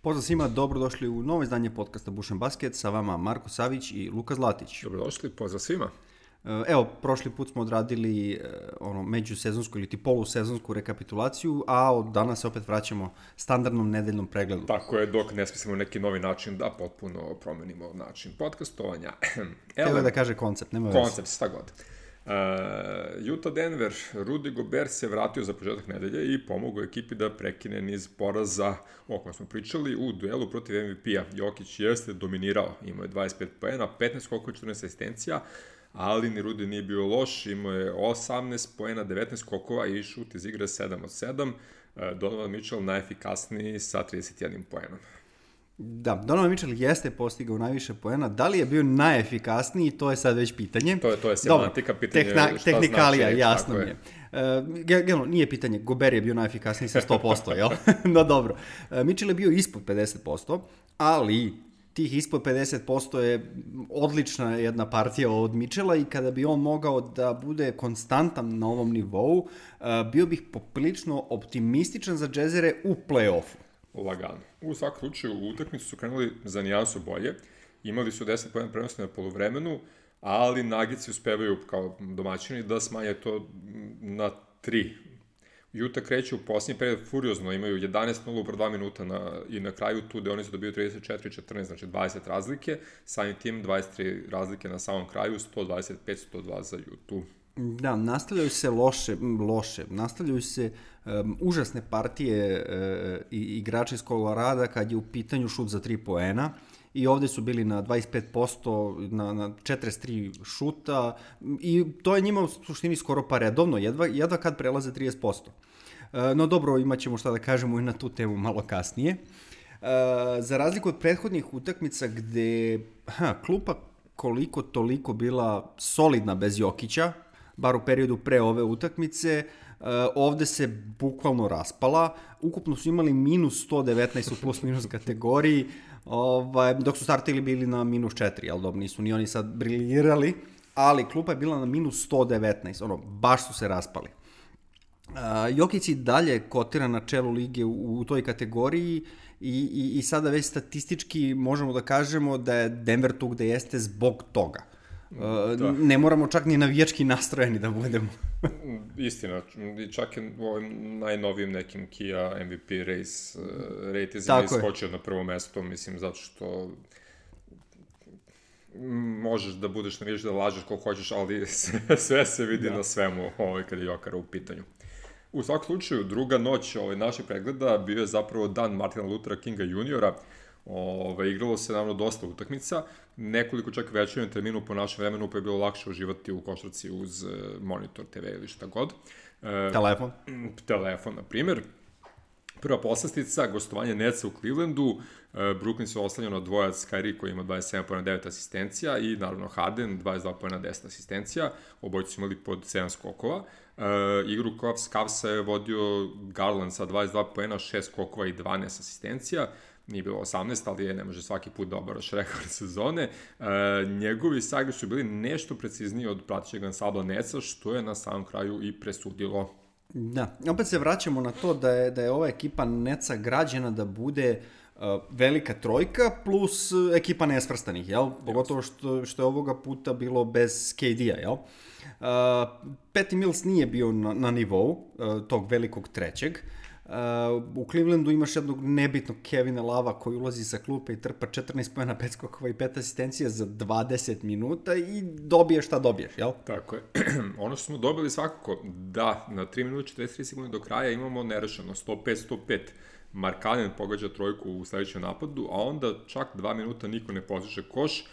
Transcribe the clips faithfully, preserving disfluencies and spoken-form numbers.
Pozdrav svima, dobrodošli u novo izdanje podcasta Bušen Basket, sa vama Marko Savić i Luka Zlatić. Dobrodošli, pozdrav svima. Evo, prošli put smo odradili ono, međusezonsku ili ti polusezonsku rekapitulaciju, a od danas se opet vraćamo standardnom nedeljnom pregledu. Tako je, dok ne smislimo neki novi način da potpuno promenimo način podcastovanja. Evo je da kaže koncept, nema veze. Koncept, šta god. Uh, Utah Denver, Rudy Gobert se vratio za početak nedelje i pomogao ekipi da prekine niz poraza o kojem smo pričali u duelu protiv M V P-a. Jokić jeste dominirao, imao je dvadeset pet poena, petnaest skokova, četrnaest asistencija, ali ni Rudy nije bio loš, imao je osamnaest poena, devetnaest skokova i šut iz igre sedam od sedam. Uh, Donovan Mitchell najefikasniji sa trideset jedan poenom. Da, Donovan Mitchell jeste postigao najviše poena. Da li je bio najefikasniji, to je sad već pitanje. To je, to je semantika, pitanje tehna, šta tehnikalija, znači. Jasno mi je. Uh, Generalno, nije pitanje, Gobert je bio najefikasniji sa sto posto, jel? No dobro. Uh, Mitchell je bio ispod pedeset posto, ali tih ispod pedeset posto je odlična jedna partija od Mitchella i kada bi on mogao da bude konstantan na ovom nivou, uh, bio bih poprilično optimističan za Jazzere u play-offu. Lagano. U svakom slučaju, u utakmicu su krenuli za nijansu bolje. Imali su deset poena prenosne na poluvremenu, ali Nuggets uspevaju kao domaćini da smanje to na tri. Utah kreće u posljednji period furiozno, imaju jedanaest nula u dva minuta na, i na kraju tu gde oni su dobiju trideset četiri četrnaest, znači dvadeset razlike, samim tim dvadeset tri razlike na samom kraju, sto dvadeset pet sto dva za Utah. Da, nastavljaju se loše, loše, nastavljaju se um, užasne partije uh, i igrača iz Kolorada kad je u pitanju šut za tri poena i ovde su bili na dvadeset pet posto, na, na četrdeset tri šuta i to je njima u suštini skoro pa redovno, jedva, jedva kad prelaze trideset posto. Uh, no dobro, imat ćemo šta da kažemo i na tu temu malo kasnije. Uh, za razliku od prethodnih utakmica gde ha, klupa koliko toliko bila solidna bez Jokića, bar u periodu pre ove utakmice, uh, ovde se bukvalno raspala. Ukupno su imali minus sto devetnaest u plus minus kategoriji, ovaj, dok su startili bili na minus četiri, ali dobro, nisu ni oni sad briljirali, ali klupa je bila na minus sto devetnaest, ono, baš su se raspali. Uh, Jokić i dalje kotira na čelu lige u, u toj kategoriji i, i, i sada već statistički možemo da kažemo da je Denver tu gde jeste zbog toga. Uh, ne moramo čak ni navijački nastrojeni da budemo. Istina, čak je u ovim najnovijim nekim Kia M V P race uh, ratezima iskočio na prvo mesto, mislim, zato što možeš da budeš navijač, da lažeš koliko hoćeš, ali sve se vidi da. Na svemu ovaj, kad je Jokara u pitanju. U svakom slučaju, druga noć ovaj, našeg pregleda bio je zapravo dan Martina Luthera Kinga juniora. Ove, igralo se naravno dosta utakmica, nekoliko čak večernjem terminu po našem vremenu, pa je bilo lakše uživati u košarci uz uh, monitor, te ve ili šta god. E, telefon. Telefon, na primjer. Prva poslastica, gostovanje Netsa u Clevelandu, uh, Brooklyn se oslanjao na dvojac Kyrie koji ima dvadeset sedam poena, devet asistencija i naravno Harden dvadeset dva poena, deset asistencija, obojice su imali pod sedam skokova. Uh, igru Cavsa je vodio Garland sa dvadeset dva poena, šest skokova i dvanaest asistencija. Nije bilo osamnaest, ali je, ne može svaki put da obaraš rekord sezone. E, njegovi sagri su bili nešto precizniji od pratećeg ansambla Netsa, što je na samom kraju i presudilo. Da, opet se vraćamo na to da je, da je ova ekipa Netsa građena da bude uh, velika trojka plus ekipa nesvrstanih, jel? Pogotovo što, što je ovoga puta bilo bez K D-a, jel? Uh, Patty Mills nije bio na, na nivou uh, tog velikog trećeg. Uh, u Clevelandu imaš jednog nebitnog Kevina Lava koji ulazi sa klupe i trpa četrnaest poena, pet skokova i pet asistencija za dvadeset minuta i dobiješ šta dobiješ, jel? Tako je. Ono što smo dobili svakako, da, na tri minuta četrdeset tri sekunde do kraja imamo nerešeno sto pet sto pet. Mark Allen pogađa trojku u sledećem napadu, a onda čak dva minuta niko ne postiže koš,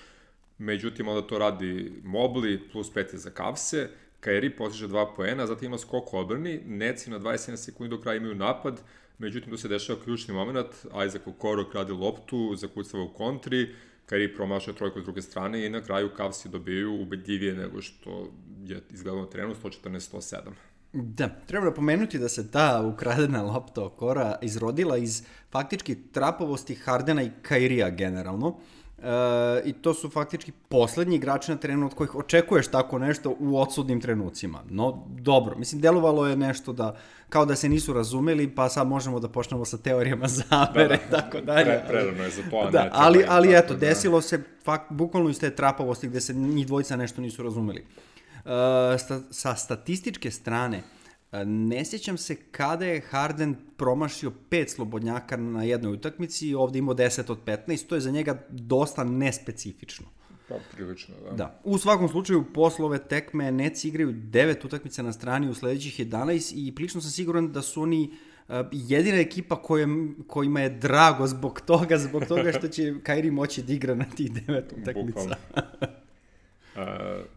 međutim onda to radi Mobley, plus pet za Cavse, Kyrie postiže dva poena, zatim ima skok u odbrani, Netsi na dvadeset sedam sekundi do kraja imaju napad, međutim tu se dešava ključni moment, Isaac Okoro krade loptu, zakucava u kontri, Kyrie promašuje trojku s druge strane i na kraju Cavsi dobiju ubedljivije nego što je izgledalo na terenu, sto četrnaest sto sedam. Da, treba da pomenuti da se ta ukradena lopta Okora izrodila iz faktički trapavosti Hardena i Kyriea generalno. E, I to su faktički poslednji igrači na terenu od kojih očekuješ tako nešto u odsudnim trenucima. No, dobro. Mislim, delovalo je nešto da, kao da se nisu razumeli, pa sad možemo da počnemo sa teorijama zavere, da, da. tako dalje. Pre, prerano je za to, a da, ne ali, ali eto, da. desilo se fakt, bukvalno iz te trapavosti gde se njih dvojica nešto nisu razumeli. E, sta, sa statističke strane, ne sjećam se kada je Harden promašio pet slobodnjaka na jednoj utakmici i ovdje imao deset od petnaest, to je za njega dosta nespecifično. Pa, prilično, da. Da. U svakom slučaju, posle ove tekme Nets igraju devet utakmica na strani u sledećih jedanaest i prilično sam siguran da su oni uh, jedina ekipa kojem, kojima je drago zbog toga, zbog toga što će Kyrie moći da igra na tih devet utakmica. uh,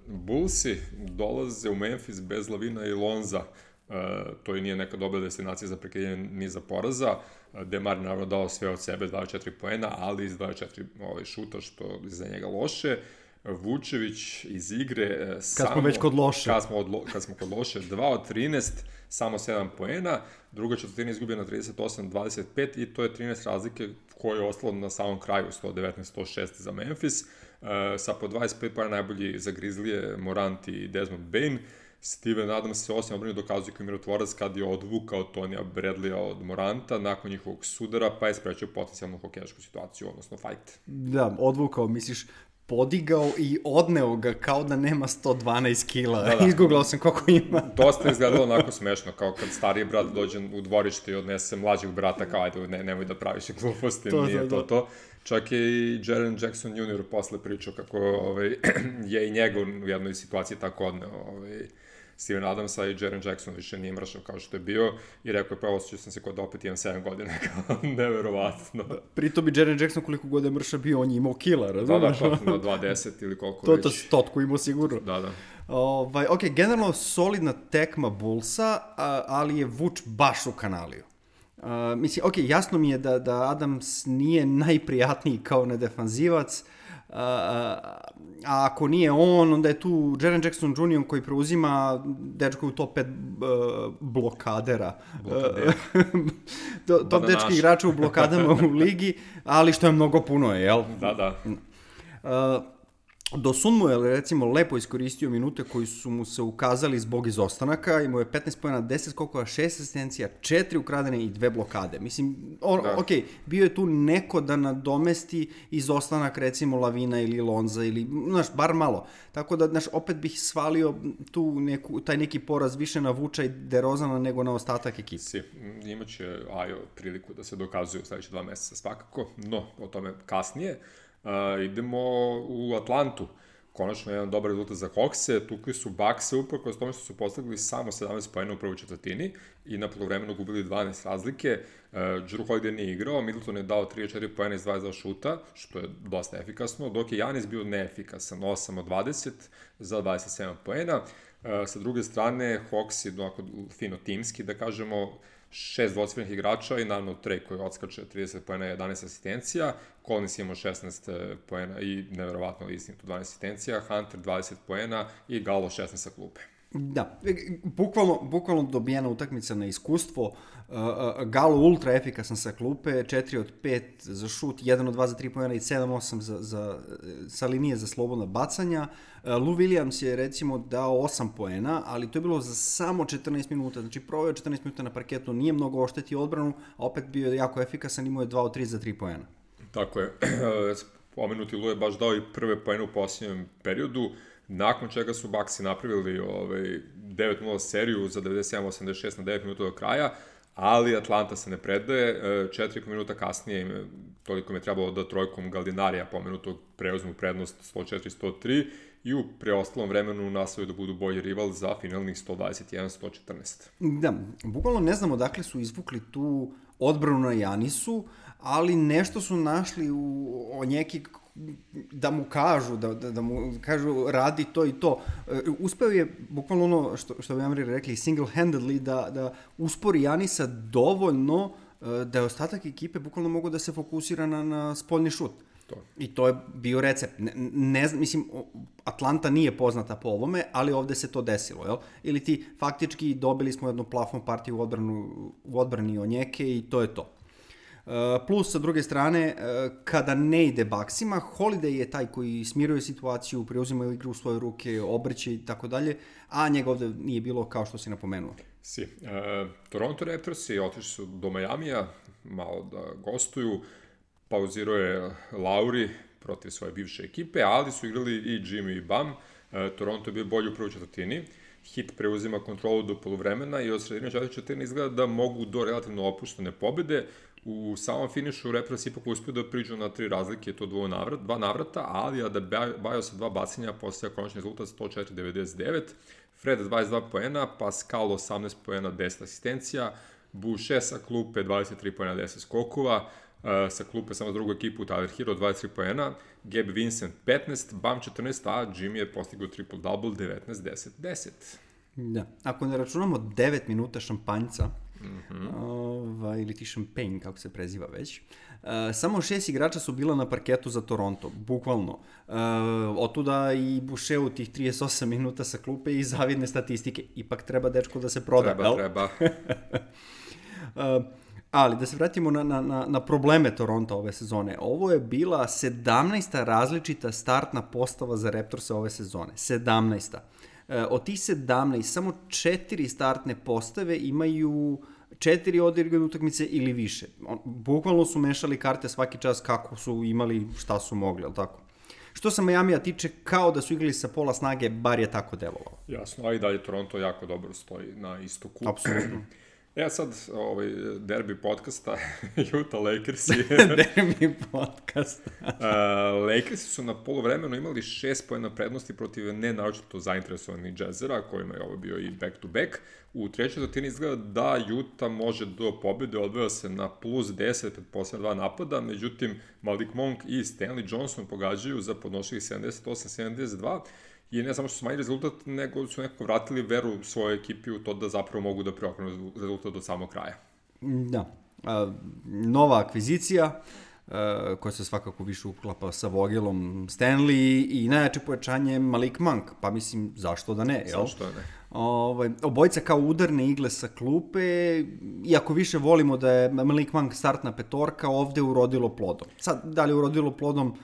Bullsi dolaze u Memphis bez Lavina i Lonza. Uh, to i nije neka dobra destinacija za prekidanje niza poraza. Uh, Demar je naravno dao sve od sebe, dvadeset četiri poena, ali iz dvadeset četiri ovaj, šuta, što je za njega loše. Vučević iz igre... Uh, kad samo, smo već kod loše. Kad smo, odlo, kad smo kod loše, dva od trinaest, samo sedam poena. Druga četvrtina izgubio na trideset osam dvadeset pet i to je trinaest razlike koje je ostalo na samom kraju, sto devetnaest sto šest za Memphis. Uh, sa po dvadeset pet poena najbolji za Grizzlije, Morant i Desmond Bane. Steven Adams se osim odbrani dokazuje kao mirotvorac kad je odvukao Tonija Bradleya od Moranta nakon njihovog sudara, pa je sprečio potencijalnu hokejašku situaciju, odnosno fight. Da, odvukao, misliš, podigao i odneo ga kao da nema sto dvanaest kila. Da, da. Izgooglao sam koliko ima. Dosta je izgledalo onako smešno, kao kad stariji brat dođe u dvorište i odnese mlađeg brata, kao ajde, ne, nemoj da praviš gluposti, to, nije to, to to. Čak je i Jaren Jackson junior posle pričao kako ovaj, je i njegov u jednoj situaciji tako odneo ovaj, Steven Adamsa i Jaren Jackson više nije mršao kao što je bio i rekao je pa osjećao sam se kod da opet imam sedam godina, kao neverovatno. Pritom bi Jaren Jackson koliko god je mršao bio, on je imao kila, razumiješ? Da, da, pa na dvadeset ili koliko to, već. To stotku imao sigurno. Da, da. Ovaj, ok, generalno solidna tekma Bullsa, ali je Vuč baš u kanaliju. Uh, mislim, ok, jasno mi je da, da Adams nije najprijatniji kao nedefanzivac, Uh, a ako nije on, onda je tu Jaren Jackson junior koji preuzima dečko u top pet uh, blokadera. Blokadera. to, top dečki igrača u blokadama u ligi, ali što je mnogo puno, jel? Da, da. Uh, Dosunmu je, recimo, lepo iskoristio minute koji su mu se ukazali zbog izostanaka, imao je petnaest poena, deset skokova, šest asistencija, četiri ukradene i dve blokade. Mislim, on, da. ok, bio je tu neko da nadomesti izostanak, recimo, Lavina ili Lonza, ili, znaš, bar malo. Tako da, znaš, opet bih svalio tu neku, taj neki poraz više na Vuča i DeRozana nego na ostatak ekipe. Si, imaće Ajo priliku da se dokazuje u sledeće dva meseca svakako, no, o tome kasnije. Uh, idemo u Atlantu. Konačno jedan dobar rezultat za Hawkse. Tukli su Buckse uprkos tome što su postigli samo sedamnaest poena u prvoj četvrtini i na poluvremenu gubili dvanaest razlike. Uh, Jrue Holiday nije igrao, Middleton je dao trideset četiri poena iz dvadeset dva šuta, što je dosta efikasno, dok je Giannis bio neefikasan, osam od dvadeset za dvadeset sedam poena. Uh, sa druge strane, Hawks je onako fino timski, da kažemo, šest dvocifrenih igrača i naravno Trey koji odskače trideset poena i jedanaest asistencija, Collins imao šesnaest poena i neverovatno istinito dvanaest asistencija, Hunter dvadeset poena i Gallo šesnaest sa klupe. Da, bukvalno, bukvalno dobijena utakmica na iskustvo, uh, uh, Gallo ultra efikasan sa klupe, četiri od pet za šut, jedan od dva za tri poena i sedam osam za, za, sa linije za slobodna bacanja. Uh, Lou Williams je recimo dao osam poena, ali to je bilo za samo četrnaest minuta, znači proveo četrnaest minuta na parketu, nije mnogo oštetio odbranu, a opet bio je jako efikasan, imao je dva od tri za tri poena. Tako je, pomenuti Lou je baš dao i prve poene u posljednjem periodu, nakon čega su Bucksi napravili ovaj, devet nula seriju za devedeset sedam osamdeset šest na devet minuta do kraja, ali Atlanta se ne predaje, četiri i po minuta kasnije, toliko mi je trebalo da trojkom Gallinarija pomenutog preuzmu prednost sto četiri sto tri i u preostalom vremenu nastavaju da budu bolji rival za finalnih sto dvadeset jedan sto četrnaest. Da, bukvalno ne znam odakle su izvukli tu odbranu na Janisu, ali nešto su našli u, o neki da mu kažu, da, da, da mu kažu radi to i to. Uspeo je, bukvalno ono što, što bi Amri rekli, single-handedly da, da uspori Janisa dovoljno da je ostatak ekipe bukvalno mogu da se fokusira na, na spoljni šut. To. I to je bio recept. Ne, ne znam, mislim, Atlanta nije poznata po ovome, ali ovde se to desilo, jel? Ili ti faktički dobili smo jednu plafon partiju u, odbranu, u odbrani Onjeke i to je to. Plus, sa druge strane, kada ne ide Bucksima, Holiday je taj koji smiruje situaciju, preuzima igru u svoje ruke, obrće i tako dalje, a njega ovde nije bilo kao što si napomenuo. Si. E, Toronto Raptorsi otišli su do Majamija, malo da gostuju, pauzirao je Lauri protiv svoje bivše ekipe, ali su igrali i Jimmy i Bam. E, Toronto je bio bolji u prvoj četvrtini. Hit preuzima kontrolu do poluvremena i od sredine četvrte četvrtine izgleda da mogu do relativno opuštene pobede. U samom finišu Raptors ipak uspio da priđu na tri razlike, to dvo navrat, dva navrata, ali Adebayo sa dva bacanja postaja konačni rezultat sto četiri devedeset devet, Fred dvadeset dva poena, Pascal osamnaest poena, deset asistencija, Boucher sa klupe dvadeset tri poena, deset skokova, uh, sa klupe samo drugu ekipu Tyler Hero dvadeset tri poena, Gabe Vincent petnaest, Bam četrnaest, a Jimmy je postigao triple-double devetnaest deset deset. Da, ako ne računamo devet minuta šampanjca, mm-hmm. ovaj, ili ti šampanj, kako se preziva već, uh, samo šest igrača su bila na parketu za Toronto, bukvalno. Uh, otuda i Boucher u tih trideset osam minuta sa klupe i zavidne statistike. Ipak treba dečko da se proda, Treba, treba. uh, ali da se vratimo na, na, na probleme Toronto ove sezone. Ovo je bila sedamnaesta različita startna postava za Raptorsa ove sezone. sedamnaesta. Od tih sedamnaest, samo četiri startne postave imaju četiri odigrane utakmice ili više. Bukvalno su mešali karte svaki čas kako su imali, šta su mogli, ali tako? Što se Majamija tiče, kao da su igrali sa pola snage, bar je tako delovalo. Jasno, a i dalje Toronto jako dobro stoji na istoku. Apsolutno. Ja sad, ovaj, derbi podcasta, Utah Lakersi. Derbi podcasta. uh, Lakersi su na poluvremenu imali šest poena prednosti protiv nenaročito zainteresovanih Jazzera, kojima je ovo bio i back-to-back. U trećoj četvrtini izgleda da Utah može do pobjede, odveo se na plus deset pred posljednja dva napada, međutim Malik Monk i Stanley Johnson pogađaju za podnošljivih sedamdeset osam sedamdeset dva. I ne samo što su manji rezultat, nego su nekako vratili veru svojoj ekipi u to da zapravo mogu da preokrenu rezultat do samog kraja. Da. A, nova akvizicija, a, koja se svakako više uklapa sa Vogelom Stanley i najjače pojačanje Malik Monk. Pa mislim, zašto da ne? Jel? Zašto da ne? Ovaj, obojica kao udarne igle sa klupe, iako više volimo da je Malik Monk startna petorka, ovde urodilo plodom. Sad, da li je urodilo plodom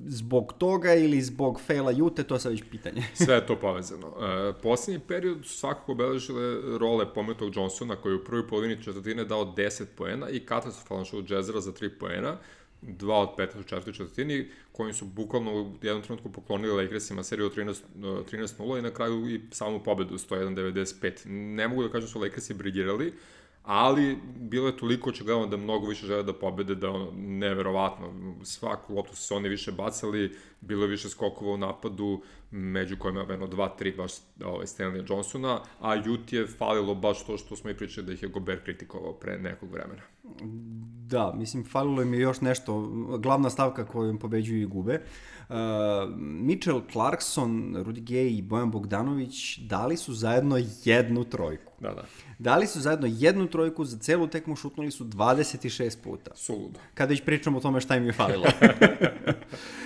zbog toga ili zbog faila Jute, to je sad već pitanje. Sve je to povezano. E, posljednji period su svakako obeležile role pomenutog Johnsona, koji je u prvoj polovini četvrtine dao deset poena i katastrofalan šut Jazzera za tri poena, dva od petnaest u četvrtoj četvrtini, kojim su bukvalno u jednom trenutku poklonili Lakersima seriju trinaest nula i na kraju i samu pobedu sto jedan devedeset pet. Ne mogu da kažem su Lakersi briljirali, ali bilo je toliko očigledno da mnogo više žele da pobede, da ono, neverovatno, svaku loptu su se oni više bacali, bilo je više skokova u napadu, među kojima je jedno dva tri baš ovaj, Stanley Johnsona, a Utah je falilo baš to što smo i pričali da ih je Gobert kritikovao pre nekog vremena. Da, mislim, falilo im je još nešto, glavna stavka kojom pobeđuju i gube. Uh, Mitchell Clarkson, Rudy Gay i Bojan Bogdanović dali su zajedno jednu trojku. Da, da. Dali su zajedno jednu trojku, za celu tekmu šutnuli su dvadeset šest puta. Suludo. Kada već pričamo o tome šta im je falilo.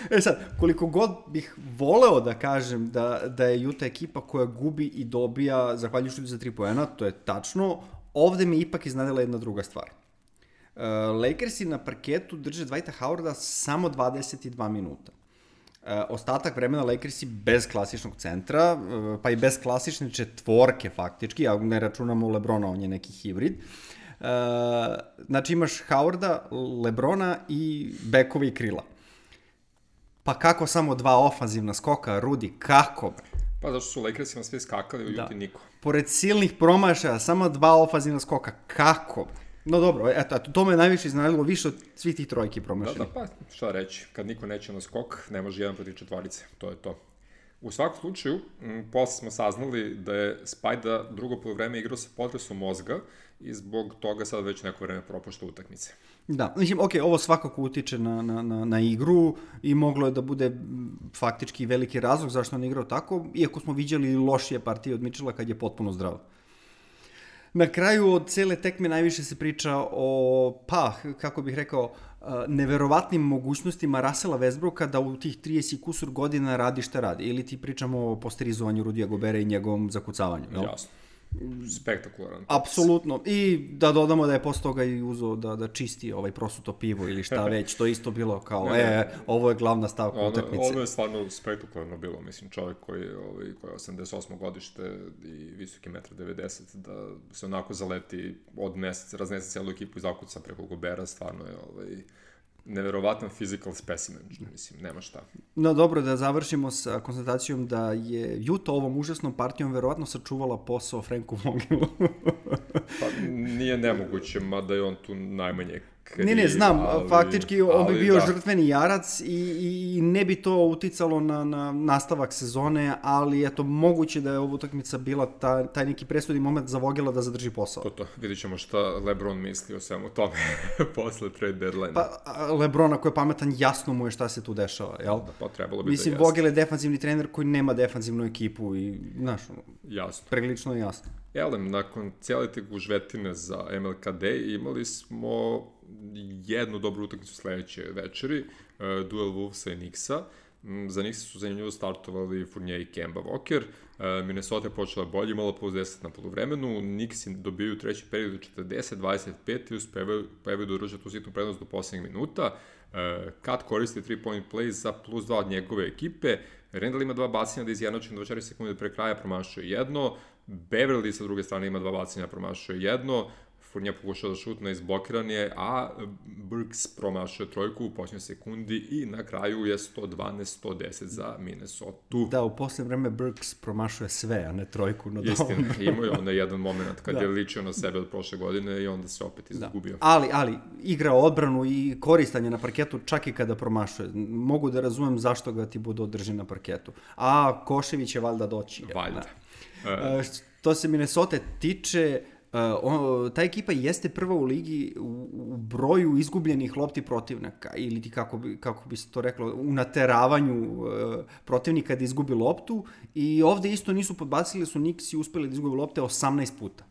E sad, koliko god bih voleo da kažem da, da je Utah ekipa koja gubi i dobija zahvaljujući za tri poena, to je tačno, ovde mi ipak iznadila jedna druga stvar. Uh, Lakersi na parketu drže Dwighta Howarda samo dvadeset dva minuta. Uh, ostatak vremena Lakersi bez klasičnog centra, uh, pa i bez klasične četvorke faktički, a ne računamo LeBrona, on je neki hibrid. Uh, znači imaš Howarda, LeBrona i bekove i krila. Pa kako samo dva ofanzivna skoka, Rudy, kako? Pa zašto su Lakersima sve skakali, u Utah niko. Pored silnih promašaja, samo dva ofanzivna skoka, kako? No dobro, eto, eto, to me najviše iznenadilo, više od svih tih trojki promašili. Da, da, pa šta reći, kad niko neće na skok, ne može jedan protiv četvorice, to je to. U svakom slučaju, m, posle smo saznali da je Spajda drugo polovreme igrao sa potresom mozga i zbog toga sad već neko vreme propušta utakmice. Da, mislim, ok, ovo svakako utiče na, na, na, na igru i moglo je da bude faktički veliki razlog zašto on igrao tako, iako smo viđali lošije partije od Mitchella kad je potpuno zdrav. Na kraju od cele tekme najviše se priča o, pa, kako bih rekao, neverovatnim mogućnostima Russella Westbrooka da u tih trideset kusur godina radi šta radi. Ili ti pričamo o posterizovanju Rudija Gobera i njegovom zakucavanju. Jel? Jasno. spektakularan. Apsolutno. I da dodamo da je posle toga i uzeo da, da čisti ovaj prosuto pivo ili šta već, to isto bilo kao, ne, e, ovo je glavna stavka ono, utakmice. Ovo je stvarno spektakularno bilo, mislim, čovjek koji je, ovaj, koji je osamdeset osmo godište i visoki jedan devedeset metra, da se onako zaleti od mesec, raznese cijelu ekipu i zakuca preko Gobera, stvarno je ovaj, neverovatan physical specimen, mislim, nema šta. No dobro, da završimo sa konstatacijom da je Utah ovom užasnom partijom verovatno sačuvala posao Franku Vogelu. Pa nije nemoguće, mada je on tu najmanje kriv. Ne, ne, znam, ali, faktički on bi bio da. žrtveni jarac i, i ne bi to uticalo na, na nastavak sezone, ali eto, moguće da je ova utakmica bila ta, taj neki presudni moment za Vogela da zadrži posao. To to, vidit ćemo šta LeBron misli o svemu tome posle trade deadline. Pa LeBron, ako je pametan, jasno mu je šta se tu dešava, jel? Da, pa trebalo bi Mislim, da Vogel je defanzivni trener koji nema defanzivnu ekipu i, znaš, jasno. Prilično je jasno. Elem, nakon cijele te gužvetine za M L K D imali smo jednu dobru utakmicu sledeće večeri, uh, duel Wolvesa i Knicksa. Um, za Knicksa su zanimljivo startovali Fournier i Kemba Walker. Uh, Minnesota je počela bolje, imala plus deset na poluvremenu. Knicksi dobiju treći period četrdeset dvadeset pet i uspevaju da udrže tu sitnu prednost do poslednjeg minuta. Uh, Kat koristi tri point play za plus dva od njegove ekipe. Randall ima dva bacanja da izjednači na dvadeset četiri sekunde pre kraja, promašuje jedno. Beverly sa druge strane ima dva bacanja, promašuje jedno. Fournier pokušao da šutne, izblokiran je, a Burks promašuje trojku u posljednjoj sekundi i na kraju je sto dvanaest sto deset za Minnesota. Da, u posljednje vreme Burks promašuje sve, a ne trojku. No istina, imao je onda jedan moment kad da. je ličio na sebe od prošle godine i onda se opet izgubio. Da. Ali, ali, igra odbranu i koristanje na parketu čak i kada promašuje. Mogu da razumem zašto ga ti bude održen na parketu. A Košević je valjda doći. Valjda. Da. Uh, što se Minnesota tiče, Uh, on, ta ekipa jeste prva u ligi u, u broju izgubljenih lopti protivnika ili ti kako bi, kako bi se to reklo, u nateravanju uh, protivnika da izgubi loptu i ovde isto nisu podbacili, su Knicksi uspeli da izgubi lopte osamnaest puta.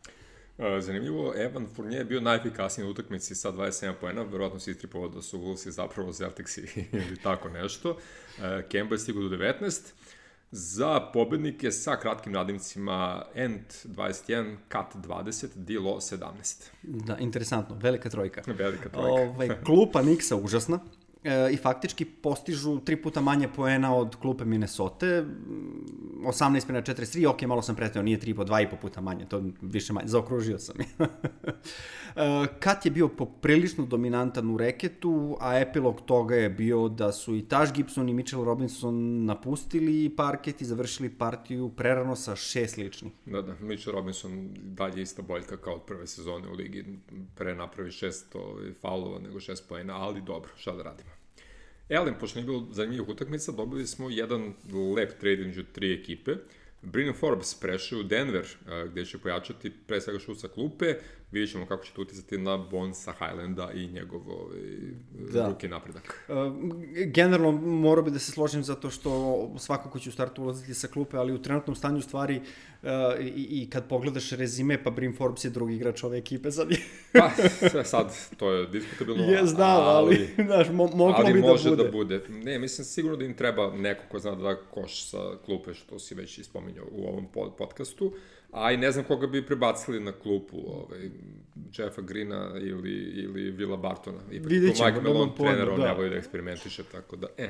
Uh, zanimljivo, Evan Fournier je bio najefikasniji u utakmici sa dvadeset sedam poena, verovatno se istripovao da su Wolvesi zapravo Celticsi ili tako nešto. Uh, Kemba je stigao do devetnaest. Za pobednike sa kratkim nadimcima Ent dvadeset jedan, Kat dvadeset, Dilo sedamnaest. Da, interesantno, velika trojka. Velika trojka. Ove, klupa Knicksa užasna e, i faktički postižu tri puta manje poena od klupe Minnesota, osamnaest prema četrdeset tri, ok, malo sam preteo, nije tri po dva i po puta manje, to više manje, zaokružio sam. Kat je bio poprilično dominantan u reketu, a epilog toga je bio da su i Taj Gibson i Mitchell Robinson napustili parket i završili partiju prerano sa šest ličnih. Da, da, Mitchell Robinson dalje ista boljka kao od prve sezone u ligi, pre napravi šest faulova nego šest poena, ali dobro, šta da radimo. Elem, pošto nije bilo zanimljivih utakmica, dobili smo jedan lep trade među tri ekipe. Brandon Forbes prešao u Denver, gde će pojačati pre svega šut sa klupe. Vidjet ćemo kako će to uticati na Bonesa Highlanda i njegov da. ruki napredak. Uh, generalno, morao bi da se složim zato što svakako će u startu ulaziti sa klupe, ali u trenutnom stanju stvari uh, i, i kad pogledaš rezime, pa Bryn Forbes je drugi igrač ove ekipe. Sad, pa, sad, to je diskutabilno. Je, znam, ali, ali znaš, mo moglo ali bi da bude. Ali može da bude. Ne, mislim sigurno da im treba neko ko zna da da koš sa klupe, što si već ispominjao u ovom podcastu. A i ne znam koga bi prebacili na klupu, ovaj, Jeffa Greena ili, ili Willa Bartona. Ipak vidjet ćemo. Mike Malone trener, on ne voli da eksperimentiše, tako da, e.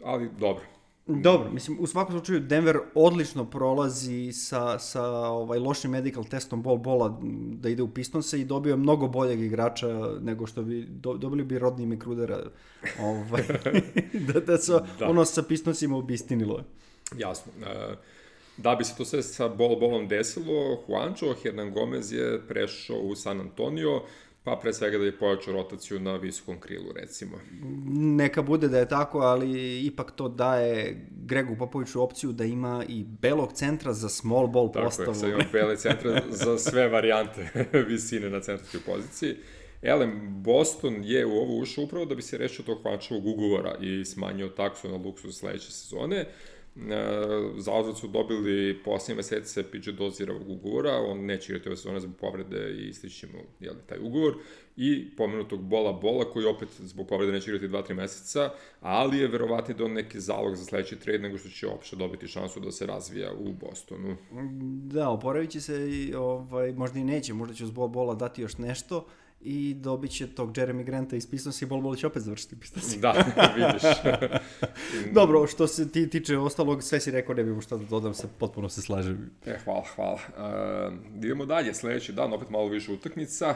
Ali, dobro. Dobro, mislim, u svakom slučaju Denver odlično prolazi sa, sa ovaj, lošim medical testom bol bola da ide u Pistonse i dobio je mnogo boljeg igrača nego što bi, do, dobili bi Rodney McGrudera, ovaj, da, da se da. ono sa Pistonsima obistinilo. Jasno. Uh, Da bi se to sve sa bol-bolom desilo, Juancho Hernan Gomez je prešao u San Antonio, pa pre svega da je pojačao rotaciju na visokom krilu, recimo. Neka bude da je tako, ali ipak to daje Gregu Popoviću opciju da ima i belog centra za small ball tako postavu. Tako je, sad ima bele centra za sve varijante visine na centarskoj poziciji. Elem, Boston je u ovo ušao upravo da bi se rešio tog Juanchovog ugovora i smanjio taksu na luksus sledeće sezone. Za uzvrat su dobili posljednje mesece P J Dozierovog ugovora, on neće igrati ove sezone zbog povrede i istići mu jel, taj ugovor, i pomenutog Bola Bola, koji opet zbog povrede neće igrati dva tri meseca, ali je verovatno da on neki zalog za sledeći trade nego što će opšte dobiti šansu da se razvija u Bostonu. Da, oporavit će se i ovaj, možda i neće, možda će uz Bola Bola dati još nešto i dobit će tog Jeremy Granta iz Pistonsa i Bol Bol će opet završiti Pistonsa. Da, vidiš. Dobro, što se ti tiče ostalog, sve si rekao, ne bih šta da dodam, se, potpuno se slažem. E, hvala, hvala. Uh, idemo dalje, sledeći dan, opet malo više utakmica.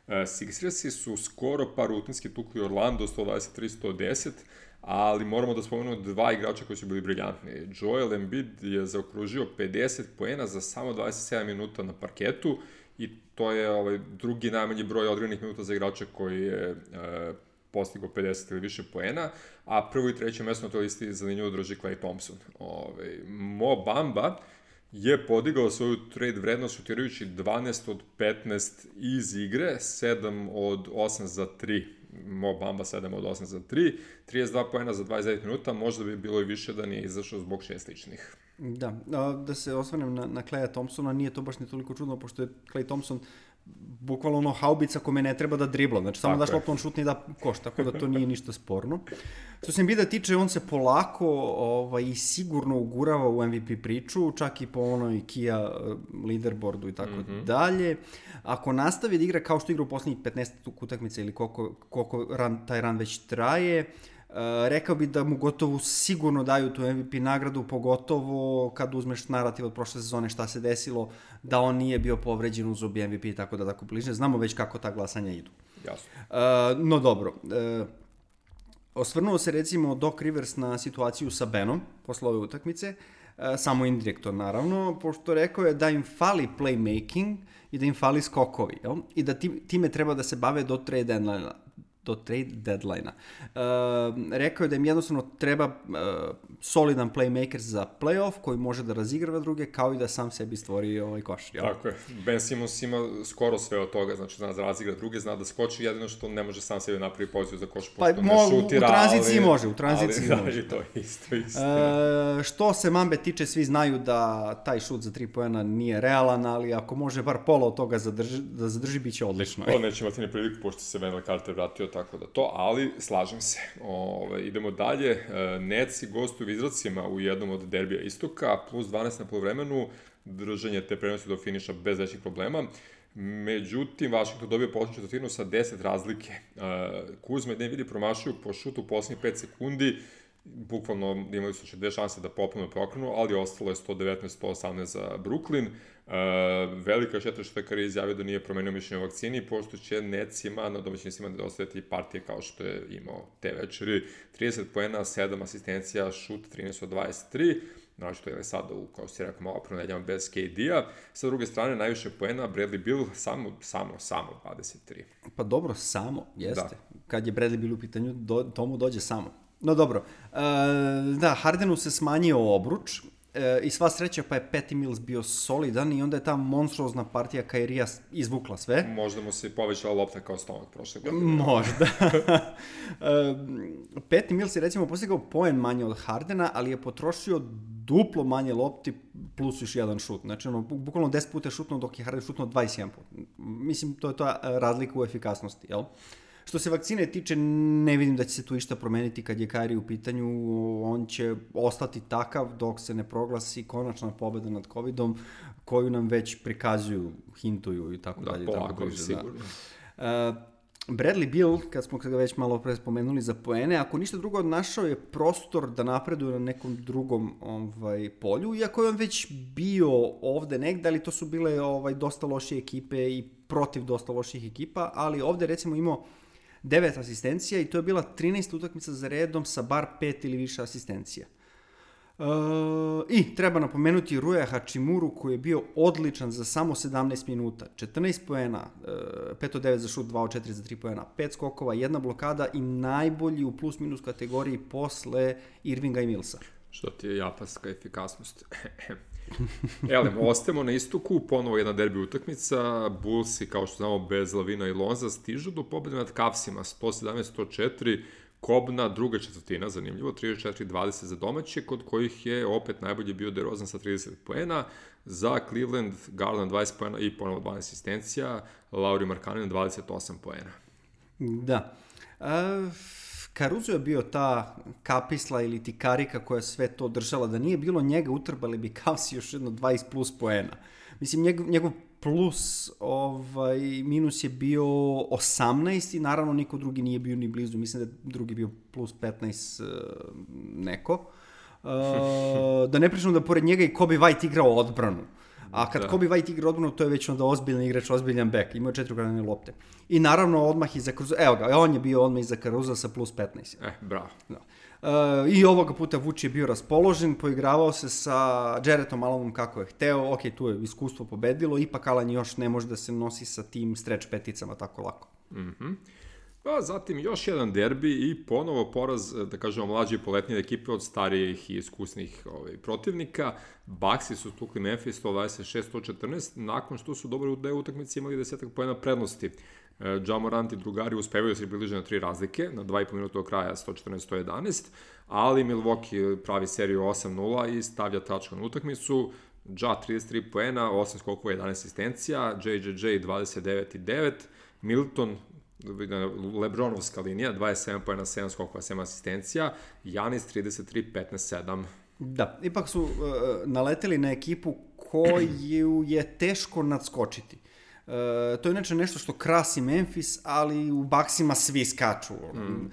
Uh, Sixersi su skoro par rutinski tukli Orlando, sto dvadeset tri sto deset, ali moramo da spomenemo dva igrača koji su bili briljantni. Joel Embiid je zaokružio pedeset poena za samo dvadeset sedam minuta na parketu, i to je ovaj, drugi najmanji broj određenih minuta za igrača koji je e, postigao pedeset ili više poena, a prvo i treće mesto na toj listi zanimljivo drži Klay Thompson. Ove, Mo Bamba je podigao svoju trade vrednost šutirajući dvanaest od petnaest iz igre, sedam od osam za tri. Mo Bamba sedam od osam za tri, trideset dva poena za dvadeset devet minuta, možda bi bilo i više da nije izašao zbog šest ličnih. Da, da se osvrnem na, na Klaya Thompsona, nije to baš ni toliko čudno, pošto je Klay Thompson bukvalno ono haubica kome ne treba da dribla, znači samo daš loptu on šutne i da koš, tako da to nije ništa sporno. Što se Embida tiče, on se polako ovaj, i sigurno ugurava u M V P priču, čak i po onoj Kia leaderboardu i tako mm-hmm. dalje. Ako nastavi da igra kao što igra u poslednjih petnaest utakmica ili koliko, koliko ran, taj ran već traje, Uh, rekao bi da mu gotovo sigurno daju tu M V P nagradu, pogotovo kad uzmeš narativ od prošle sezone šta se desilo, da on nije bio povređen uz obi M V P, tako da tako bližnje. Znamo već kako ta glasanja idu. Jasno. Uh, no dobro, uh, osvrnuo se recimo Doc Rivers na situaciju sa Benom posle ove utakmice, uh, samo indirektno naravno, pošto rekao je da im fali playmaking i da im fali skokovi, jel? I da time treba da se bave do trade deadline do trade deadline-a. Uh, rekao je da im jednostavno treba uh, solidan playmaker za playoff koji može da razigrava druge, kao i da sam sebi stvori ovaj koš. Jel? Tako je. Ben Simmons ima skoro sve od toga, znači zna da razigra druge, zna da skoči, jedino što ne može sam sebi napravi poziciju za koš, pošto pa, ne šutira, u tranziciji ali... može, u tranziciji ali, može. Da, i to isto, isto. Uh, što se Mambe tiče, svi znaju da taj šut za tri poena nije realan, ali ako može bar pola od toga zadrži, da zadrži, bit će odlično. To neće imati ne priliku, pošto se Wendell Carter vratio, tako da to, ali slažem se. Ove, idemo dalje. E, Netsi gostuju u Izracima u jednom od derbija istoka, plus dvanaest na polovremenu, držanje te prenosi do finiša bez većih problema. Međutim, Washington dobio poslednju četvrtinu sa deset razlike. E, Kuzma i Dinwiddie promašuju po šutu u poslednjih pet sekundi, bukvalno imali su še dve šanse da popolno prokrenu, ali ostalo je sto devetnaest sto osamnaest za Brooklyn. Uh, velika šteta što je Kari izjavio da nije promenio mišljenje o vakcini, pošto će Netsima na domaćinstvima nedostajati partije kao što je imao te večeri. trideset poena, sedam asistencija, šut trinaest od dvadeset tri, znači to je sada, u, kao si rekao, malo pronedeljama bez K D-a. Sa druge strane, najviše poena, Bradley Beal samo, samo, samo dvadeset tri. Pa dobro, samo, jeste. Da. Kad je Bradley Beal u pitanju, do, tomu dođe samo. No dobro, uh, da, Hardenu se smanjio obruč, i sva sreća pa je Patty Mills bio solidan i onda je ta monstruozna partija Kairija izvukla sve. Možda mu se povećala lopta kao stomak prošle godine. Možda. Patty Mills je recimo postigao poen manje od Hardena, ali je potrošio duplo manje lopti plus još jedan šut. Znači, ono, bukvalno deset puta je šutno dok je Harden šutno dvadeset jedan put. Mislim, to je ta razlika u efikasnosti, jel? Što se vakcine tiče, ne vidim da će se tu išta promeniti kad je Kyrie u pitanju. On će ostati takav dok se ne proglasi konačna pobeda nad covidom, koju nam već prikazuju, hintuju i tako da, dalje. Da, polako, sigurno. Da. Uh, Bradley Beal, kad smo ga već malo pre spomenuli za poene, ako ništa drugo, našao je prostor da napreduje na nekom drugom ovaj, polju, iako je on već bio ovde negde, ali to su bile ovaj, dosta lošije ekipe i protiv dosta loših ekipa, ali ovde recimo imao devet asistencija i to je bila trinaest utakmica za redom sa bar pet ili više asistencija. Uh, I treba napomenuti Ruja Hachimuru koji je bio odličan za samo sedamnaest minuta. četrnaest poena, uh, pet od devet za šut, dva od četiri za tri poena, pet skokova, jedna blokada i najbolji u plus minus kategoriji posle Irvinga i Millsa. Što ti je japanska efikasnost. Elem, ostajemo na istoku, ponovo jedna derbi utakmica, Bullsi, kao što znamo, bez Lavina i Lonza, stižu do pobjede nad Cavsima, sto sedamnaest sto četiri, kobna druga četvrtina, zanimljivo, trideset četiri dvadeset za domaće, kod kojih je opet najbolje bio DeRozan sa trideset poena, za Cleveland Garland dvadeset poena i ponovo dvanaest asistencija, Lauri Markkanen dvadeset osam poena. Da. A, Caruso je bio ta kapisla ili ti karika koja sve to držala. Da nije bilo njega, utrbali bi Cavsi još jedno dvadeset plus poena. Mislim, njegov, njegov plus ovaj, minus je bio osamnaest i naravno niko drugi nije bio ni blizu. Mislim da je drugi bio plus petnaest uh, neko. Uh, da ne pričamo da pored njega i Kobe White igrao odbranu. A kad da. Kobe White igra odbranu, to je već onda ozbiljan igrač, ozbiljan bek. Imao je četiri ukradene lopte. I naravno odmah iza Caruso. Evo ga, on je bio odmah iza Caruso sa plus petnaest. Eh, bravo. Da. Uh, I ovoga puta Vuč je bio raspoložen, poigravao se sa Jarrettom Alonom kako je hteo. Ok, tu je iskustvo pobedilo, ipak Alan još ne može da se nosi sa tim stretch peticama tako lako. Mhm. Pa zatim još jedan derbi i ponovo poraz, da kažemo, mlađe poletnije ekipe od starijih i iskusnih ovaj, protivnika. Bucksi su tukli Memphis sto dvadeset šest sto četrnaest, nakon što su dobro u deo utakmice imali desetak poena prednosti. Ja Morant i drugari uspevaju da se približe na tri razlike, na dva i po minuta do kraja sto četrnaest sto jedanaest, ali Milwaukee pravi seriju osam nula i stavlja tačku na utakmicu. Ja trideset tri poena, osam skokova, jedanaest asistencija, J J J dvadeset devet i devet, Milton, Lebronovska linija, dvadeset sedam poena, sedam skokova, sedam asistencija, Janis trideset tri petnaest sedam. Da, ipak su uh, naleteli na ekipu koju je teško nadskočiti. Uh, to je inače nešto što krasi Memphis, ali u Bucksima svi skaču. Mm. Uh,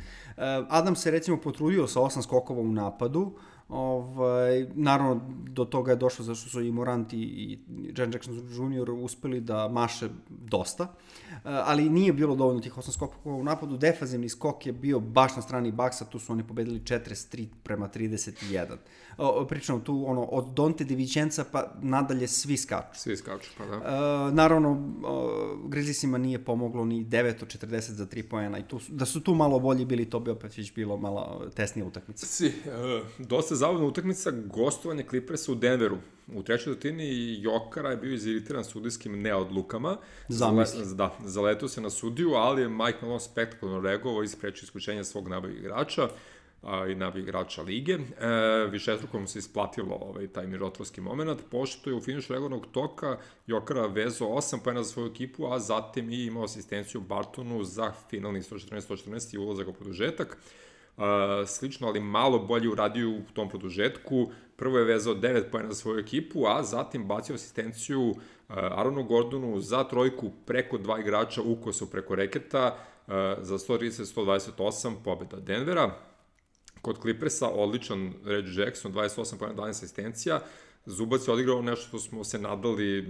Adam se recimo potrudio sa osam skokova u napadu. Ovaj, naravno, do toga je došlo zašto su i Morant i, i Jaren Jackson junior uspeli da maše dosta, uh, ali nije bilo dovoljno tih osam skokova u napadu. Defanzivni skok je bio baš na strani Bucksa, tu su oni pobedili četrdeset tri prema trideset jedan. Uh, pričamo tu ono, od Donte DiVincenza pa nadalje svi skaču. Svi skaču, pa da. Uh, naravno, uh, Grizzliesima nije pomoglo ni devet od četrdeset za tri poena i tu, da su tu malo bolji bili, to bi opet već bilo malo tesnija utakmica. Si, uh, dosta zabavna utakmica, gostovanje Clippersa u Denveru. U trećoj četvrtini Jokara je bio iziritiran sudijskim neodlukama. Zamisli. Zale, da, zaletao se na sudiju, ali je Mike Malone spektakularno reagovao i sprečio isključenje svog najboljeg igrača a, i najboljeg igrača lige. E, višestruko mu se isplatilo ovaj, taj mirotvorski moment, pošto je u finišu regularnog toka Jokara vezao osam poena za svoju ekipu, a zatim i imao asistenciju Bartonu za finalni sto četrnaest sto četrnaest i ulazak u produžetak. Uh, slično, ali malo bolje uradio u tom produžetku. Prvo je vezao devet poena za svoju ekipu, a zatim bacio asistenciju uh, Aaronu Gordonu za trojku preko dva igrača u kosu preko reketa uh, za sto trideset sto dvadeset osam pobeda Denvera. Kod Clippersa odličan Reggie Jackson, dvadeset osam poena, dvanaest asistencija. Zubac je odigrao nešto što smo se nadali,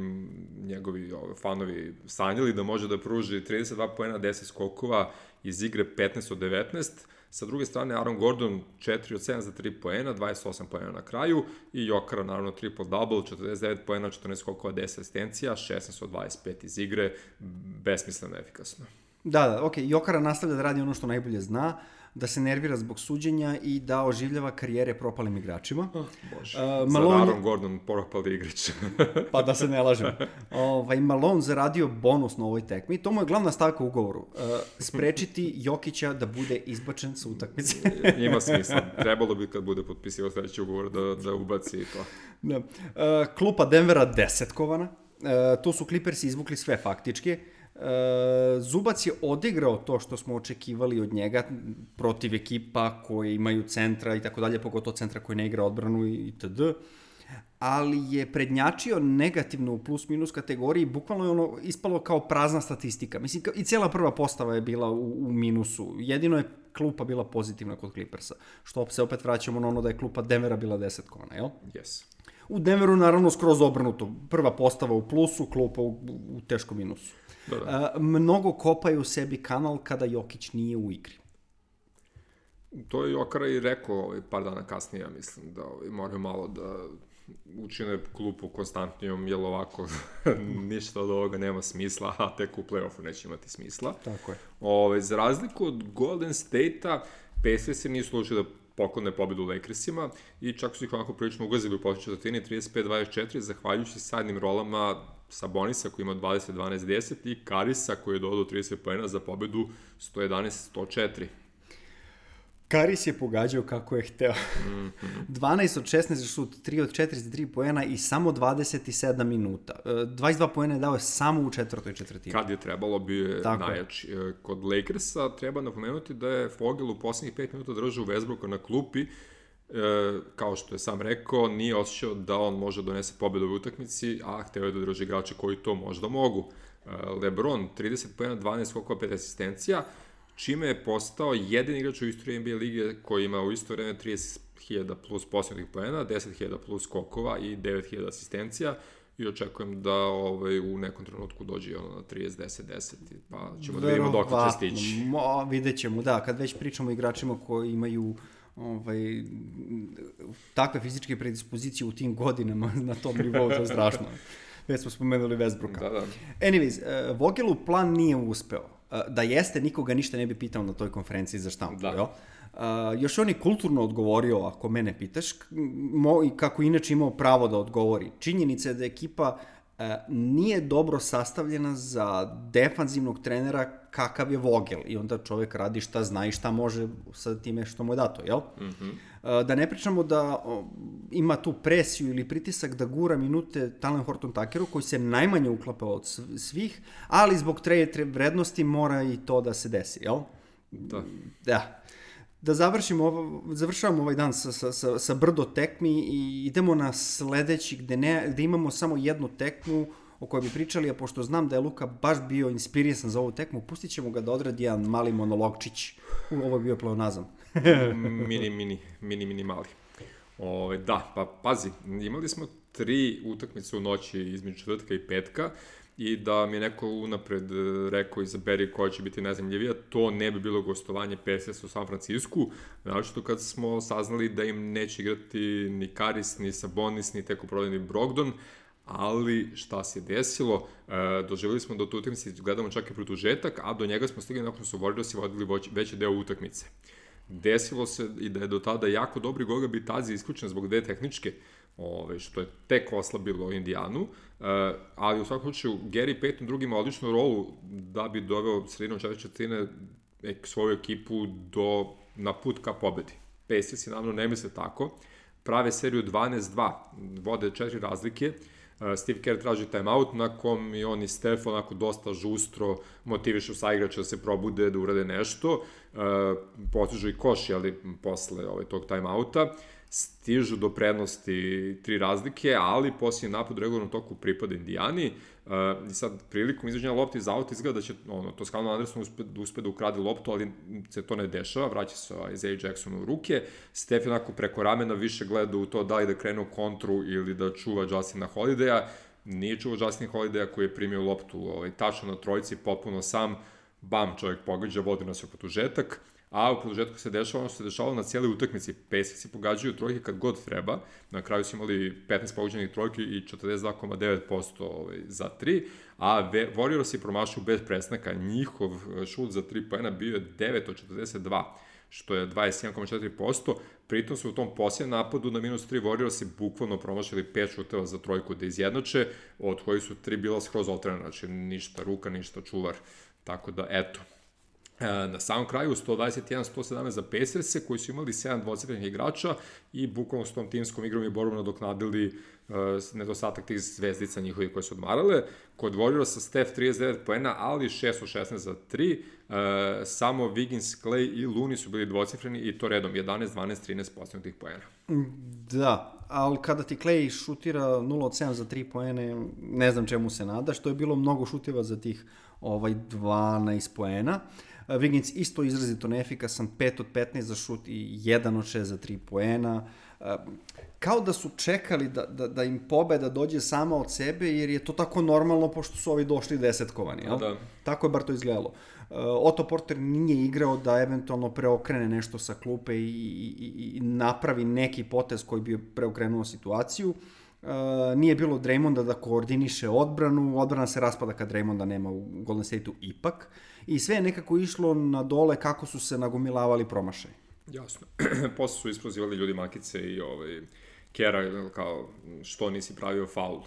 njegovi ove, fanovi sanjali da može da pruži trideset dva poena, deset skokova iz igre petnaest od devetnaest. Sa druge strane, Aaron Gordon četiri od sedam za tri poena, dvadeset osam poena na kraju i Jokara, naravno, triple-double, četrdeset devet poena, četrnaest skokova, deset asistencija, šesnaest od dvadeset pet iz igre, besmisleno efikasno. Da, da, okej, okay. Jokara nastavlja da radi ono što najbolje zna, da se nervira zbog suđenja i da oživljava karijere propalim igračima. Oh, Bože, uh, Malone... za Aaron Gordon propali igrač. Pa da se ne lažem. Ovaj, Malone zaradio bonus na ovoj tekmi. To mu je glavna stavka u ugovoru. Uh, sprečiti Jokića da bude izbačen sa utakmice. Ima smisla. Trebalo bi kad bude potpisio sledeći ugovor da, da ubaci i to. Da. Uh, klupa Denvera desetkovana. Uh, tu su Clippersi izvukli sve faktički. Uh, Zubac je odigrao to što smo očekivali od njega protiv ekipa koje imaju centra i tako dalje, pogotovo centra koji ne igra odbranu i itd. Ali je prednjačio negativno u plus minus kategoriji, bukvalno je ono ispalo kao prazna statistika. Mislim, i cijela prva postava je bila u, u minusu. Jedino je klupa bila pozitivna kod Clippersa. Što se opet vraćamo na ono da je klupa Denvera bila desetkovana, jel? Yes. U Denveru naravno skroz obrnuto. Prva postava u plusu, klupa u, u teškom minusu. Da, da. Uh, mnogo kopaju u sebi kanal kada Jokić nije u igri. To je Jokara i rekao ovaj, par dana kasnije, ja mislim, da ovaj, moraju malo da učine klupu konstantnijom, jer ovako ništa od ovoga nema smisla, a tek u play-offu neće imati smisla. Tako je. Ove, za razliku od Golden State-a, Pacersi nisu slučili da poklone pobedu Lakersima i čak su ih onako prilično ugazili u posljednjoj četvrtini trideset pet dvadeset četiri, zahvaljujući sadnim rolama Sabonisa koji ima dvadeset dvanaest deset i Karisa koji je dodao trideset poena za pobedu sto jedanaest sto četiri. Karis je pogađao kako je hteo. Mm-hmm. dvanaest od šesnaest za šut, tri od četrdeset tri poena i samo dvadeset sedam minuta. dvadeset dva poena je dao samo u četvrtoj četvrtini. Kad je trebalo, bio je Tako. najjači. Kod Lakersa treba napomenuti da je Vogel u poslednjih pet minuta držao Westbrooka na klupi. E, kao što je sam rekao, nije osjećao da on može donese pobedu u utakmici, a hteo je da drži igrače koji to možda mogu. E, LeBron, trideset poena, dvanaest skokova, pet asistencija, čime je postao jedini igrač u istoriji N B A lige koji ima u isto vreme trideset hiljada plus posljednih poena, deset hiljada plus skokova i devet hiljada asistencija i očekujem da ovaj, u nekom trenutku dođe ono na trideset deset deset, pa ćemo da vidimo dok će stići. Mo, vidjet ćemo, da, kad već pričamo o igračima koji imaju ovaj, takve fizičke predispozicije u tim godinama na tom nivou, to je strašno. Već smo spomenuli Westbrooka. Da, da. Anyways, uh, Vogelu plan nije uspeo. Uh, da jeste, nikoga ništa ne bi pitao na toj konferenciji za štampu. Da. Jo? Uh, još on je kulturno odgovorio, ako mene pitaš, mo, i kako inače imao pravo da odgovori. Činjenica je da ekipa uh, nije dobro sastavljena za defanzivnog trenera kakav je Vogel. I onda čovjek radi šta zna i šta može sa time što mu je dato, jel? Mm-hmm. Uh, da ne pričamo da uh, ima tu presiju ili pritisak da gura minute Talen Horton-Tuckeru, koji se najmanje uklapa od svih, ali zbog trade vrednosti mora i to da se desi, jel? Da. Da. Da završimo ovo, završavamo ovaj dan sa, sa, sa, sa brdo tekmi i idemo na sledeći gde, ne, gde imamo samo jednu tekmu o kojoj bi pričali, a pošto znam da je Luka baš bio inspirisan za ovu tekmu, pustit ćemo ga da odradi jedan mali monologčić. Ovo je bio pleonazam. mini, mini, mini, mini mali. O, da, pa pazi, imali smo tri utakmice u noći između četvrtka i petka i da mi je neko unapred rekao izaberi koja će biti najzanimljivija, to ne bi bilo gostovanje Pacers u San Francisku, naročito kad smo saznali da im neće igrati ni Karis, ni Sabonis, ni teko prodajni Brogdon, ali šta se desilo, e, doživjeli smo da u tu utakmici gledamo čak i produžetak, a do njega smo stigli nakon su Warriorsi vodili veći deo utakmice. Desilo se i da je do tada jako dobri Goga Bitazi isključen zbog dve tehničke, ove, što je tek oslabilo Indijanu, e, ali u svakom slučaju Gary Payton drugi ima odličnu rolu da bi doveo sredinom četvrte četvrtine svoju ekipu do, na put ka pobedi. Pacers naravno ne misle tako, prave seriju dvanaest dva, vode četiri razlike, Steve Kerr traži timeout, na kom i on i Steph onako dosta žustro motivišu saigrača da se probude, da urade nešto, postižu i koš, ali posle ovaj, tog timeouta, stižu do prednosti tri razlike, ali poslije napad u regularnom toku pripada Indijani, uh, i sad prilikom izveđenja lopte iz auta izgleda da će ono, Toscano Anderson uspe, da uspe da ukrade loptu, ali se to ne dešava, vraća se Isaiah Jackson u ruke, Steph onako preko ramena više gleda u to da li da krene u kontru ili da čuva Justina Holidaya, nije čuvao Justin Holidaya koji je primio loptu ovaj, tačno na trojici, potpuno sam, bam, čovjek pogađa, vodi nas u produžetak, a u produžetku se dešava ono što se dešavalo na cijeloj utakmici. Pacersi pogađaju trojke kad god treba, na kraju su imali petnaest pogođenih trojki i četrdeset dva zarez devet posto ovaj, za tri, a Warriors je promašao bez prestanka, njihov šut za tri poena bio je devet od četrdeset dva, što je dvadeset jedan zarez četiri posto, pritom su u tom posljednom napadu na minus tri Warriors bukvalno promašali pet šuteva za trojku da izjednače, od koji su tri bila skroz otvorena, znači ništa ruka, ništa čuvar, tako da eto. Na samom kraju sto dvadeset jedan sto sedamnaest za Pacerse koji su imali sedam dvocifrenih igrača i bukvalno s tom timskom igrom i borbom nadoknadili uh, nedostatak tih zvezdica njihovih koje su odmarale. Kod Warriorsa Steph trideset devet poena, ali šest od šesnaest za tri. Uh, samo Wiggins, Clay i Looney su bili dvocifreni i to redom jedanaest, dvanaest, trinaest postignutih poena. Da, ali kada ti Clay šutira nula od sedam za tri poene, ne znam čemu se nada, što je bilo mnogo šuteva za tih ovaj dvanaest poena. Wiggins isto izrazito neefikasan, pet od petnaest za šut i jedan od šest za tri poena. Kao da su čekali da, da, da im pobeda dođe sama od sebe, jer je to tako normalno pošto su ovi došli desetkovani. Jel? Da. Tako je bar to izgledalo. Otto Porter nije igrao da eventualno preokrene nešto sa klupe i, i, i napravi neki potez koji bi preokrenuo situaciju. Uh, nije bilo Draymonda da koordiniše odbranu, odbrana se raspada kad Draymonda nema u Golden State-u ipak i sve je nekako išlo na dole kako su se nagomilavali promašaj. Jasno. Posle su isprozivali ljudi makice i ovaj, Kera kao što nisi pravio faul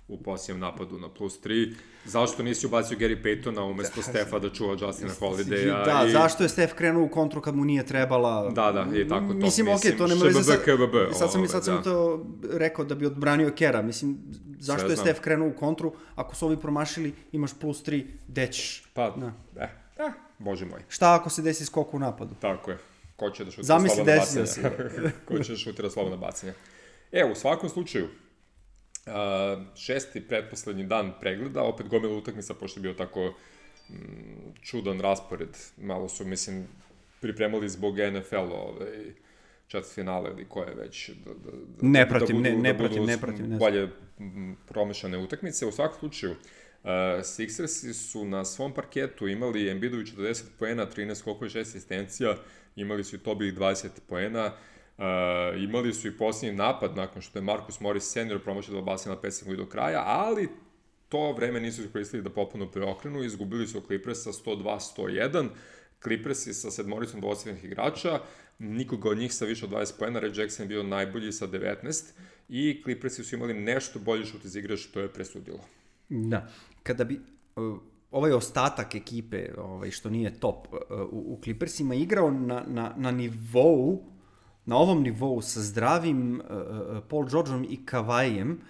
u posljednjem napadu na plus tri. Zašto nisi ubacio Gary Paytona umesto Stefa da čuva Justina Holidaya? Da, i... zašto je Stef krenuo u kontru kad mu nije trebala? Da, da, i tako to. Mislim, okej, okay, to nema veze sad... K B B, sad sam, ove, sad sam da. to rekao da bi odbranio Kera. Mislim, zašto Sve je znam. Stef krenuo u kontru? Ako su ovi promašili, imaš plus tri, dećeš. Pa, da. eh, eh, bože moj. Šta ako se desi skok u napadu? Tako je. Ko će da šutira Zamisli slobodna desio bacanja? Ko će da šutira slobodna bacanja? E, u svakom slučaju, uh, šesti pretposlednji dan pregleda, opet gomila utakmica, pošto je bio tako mm, čudan raspored. Malo su, mislim, pripremali zbog N F L-a ovaj, četvrt finale ili koje već. Da, da, ne pratim, da budu, ne, ne da pratim, budu ne pratim. Ne bolje m, promešane utakmice. U svakom slučaju, Uh, Sixersi su na svom parketu imali Embiidovi četrdeset poena, trinaest skokova i šest asistencija, imali su i Tobijih dvadeset poena, uh, imali su i posljednji napad nakon što je Marcus Morris senior promašio dva bacanja na pet sekundi do kraja, ali to vreme nisu iskoristili da popuno preokrenu, izgubili su Clippersa sto dva sto jedan, Clippersi sa sedmoricom dvocifrenih igrača, nikoga od njih sa više od dvadeset poena, Red Jackson je bio najbolji sa devetnaest i Clippersi su imali nešto bolji šut iz igre što je presudilo. Da, kada bi uh, ovaj ostatak ekipe, ovaj, što nije top, uh, u, u Clippersima igrao na, na, na nivou, na ovom nivou sa zdravim uh, Paul Georgeom i Kavajem,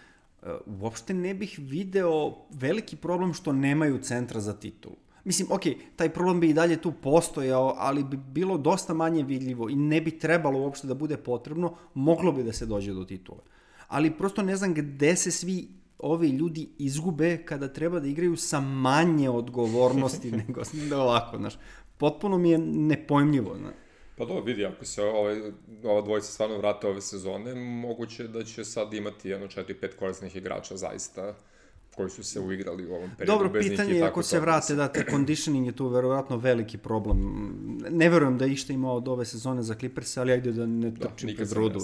uh, uopšte ne bih video veliki problem što nemaju centra za titulu. Mislim, ok, taj problem bi i dalje tu postojao, ali bi bilo dosta manje vidljivo i ne bi trebalo uopšte da bude potrebno, moglo bi da se dođe do titule. Ali prosto ne znam gde se svi ovi ljudi izgube kada treba da igraju sa manje odgovornosti nego da ovako, znaš. Potpuno mi je nepojmljivo, znaš. Pa dobro, vidi, ako se ovaj, ova dvojica stvarno vrate ove sezone, moguće da će sad imati jedno četiri pet korisnih igrača zaista koji su se uigrali u ovom periodu. Dobro, pitanje je ako se vrate, da, te conditioning je tu verovatno veliki problem. Ne verujem da išta ima od ove sezone za Clippers, ali ajde da ne trčim pred rudu.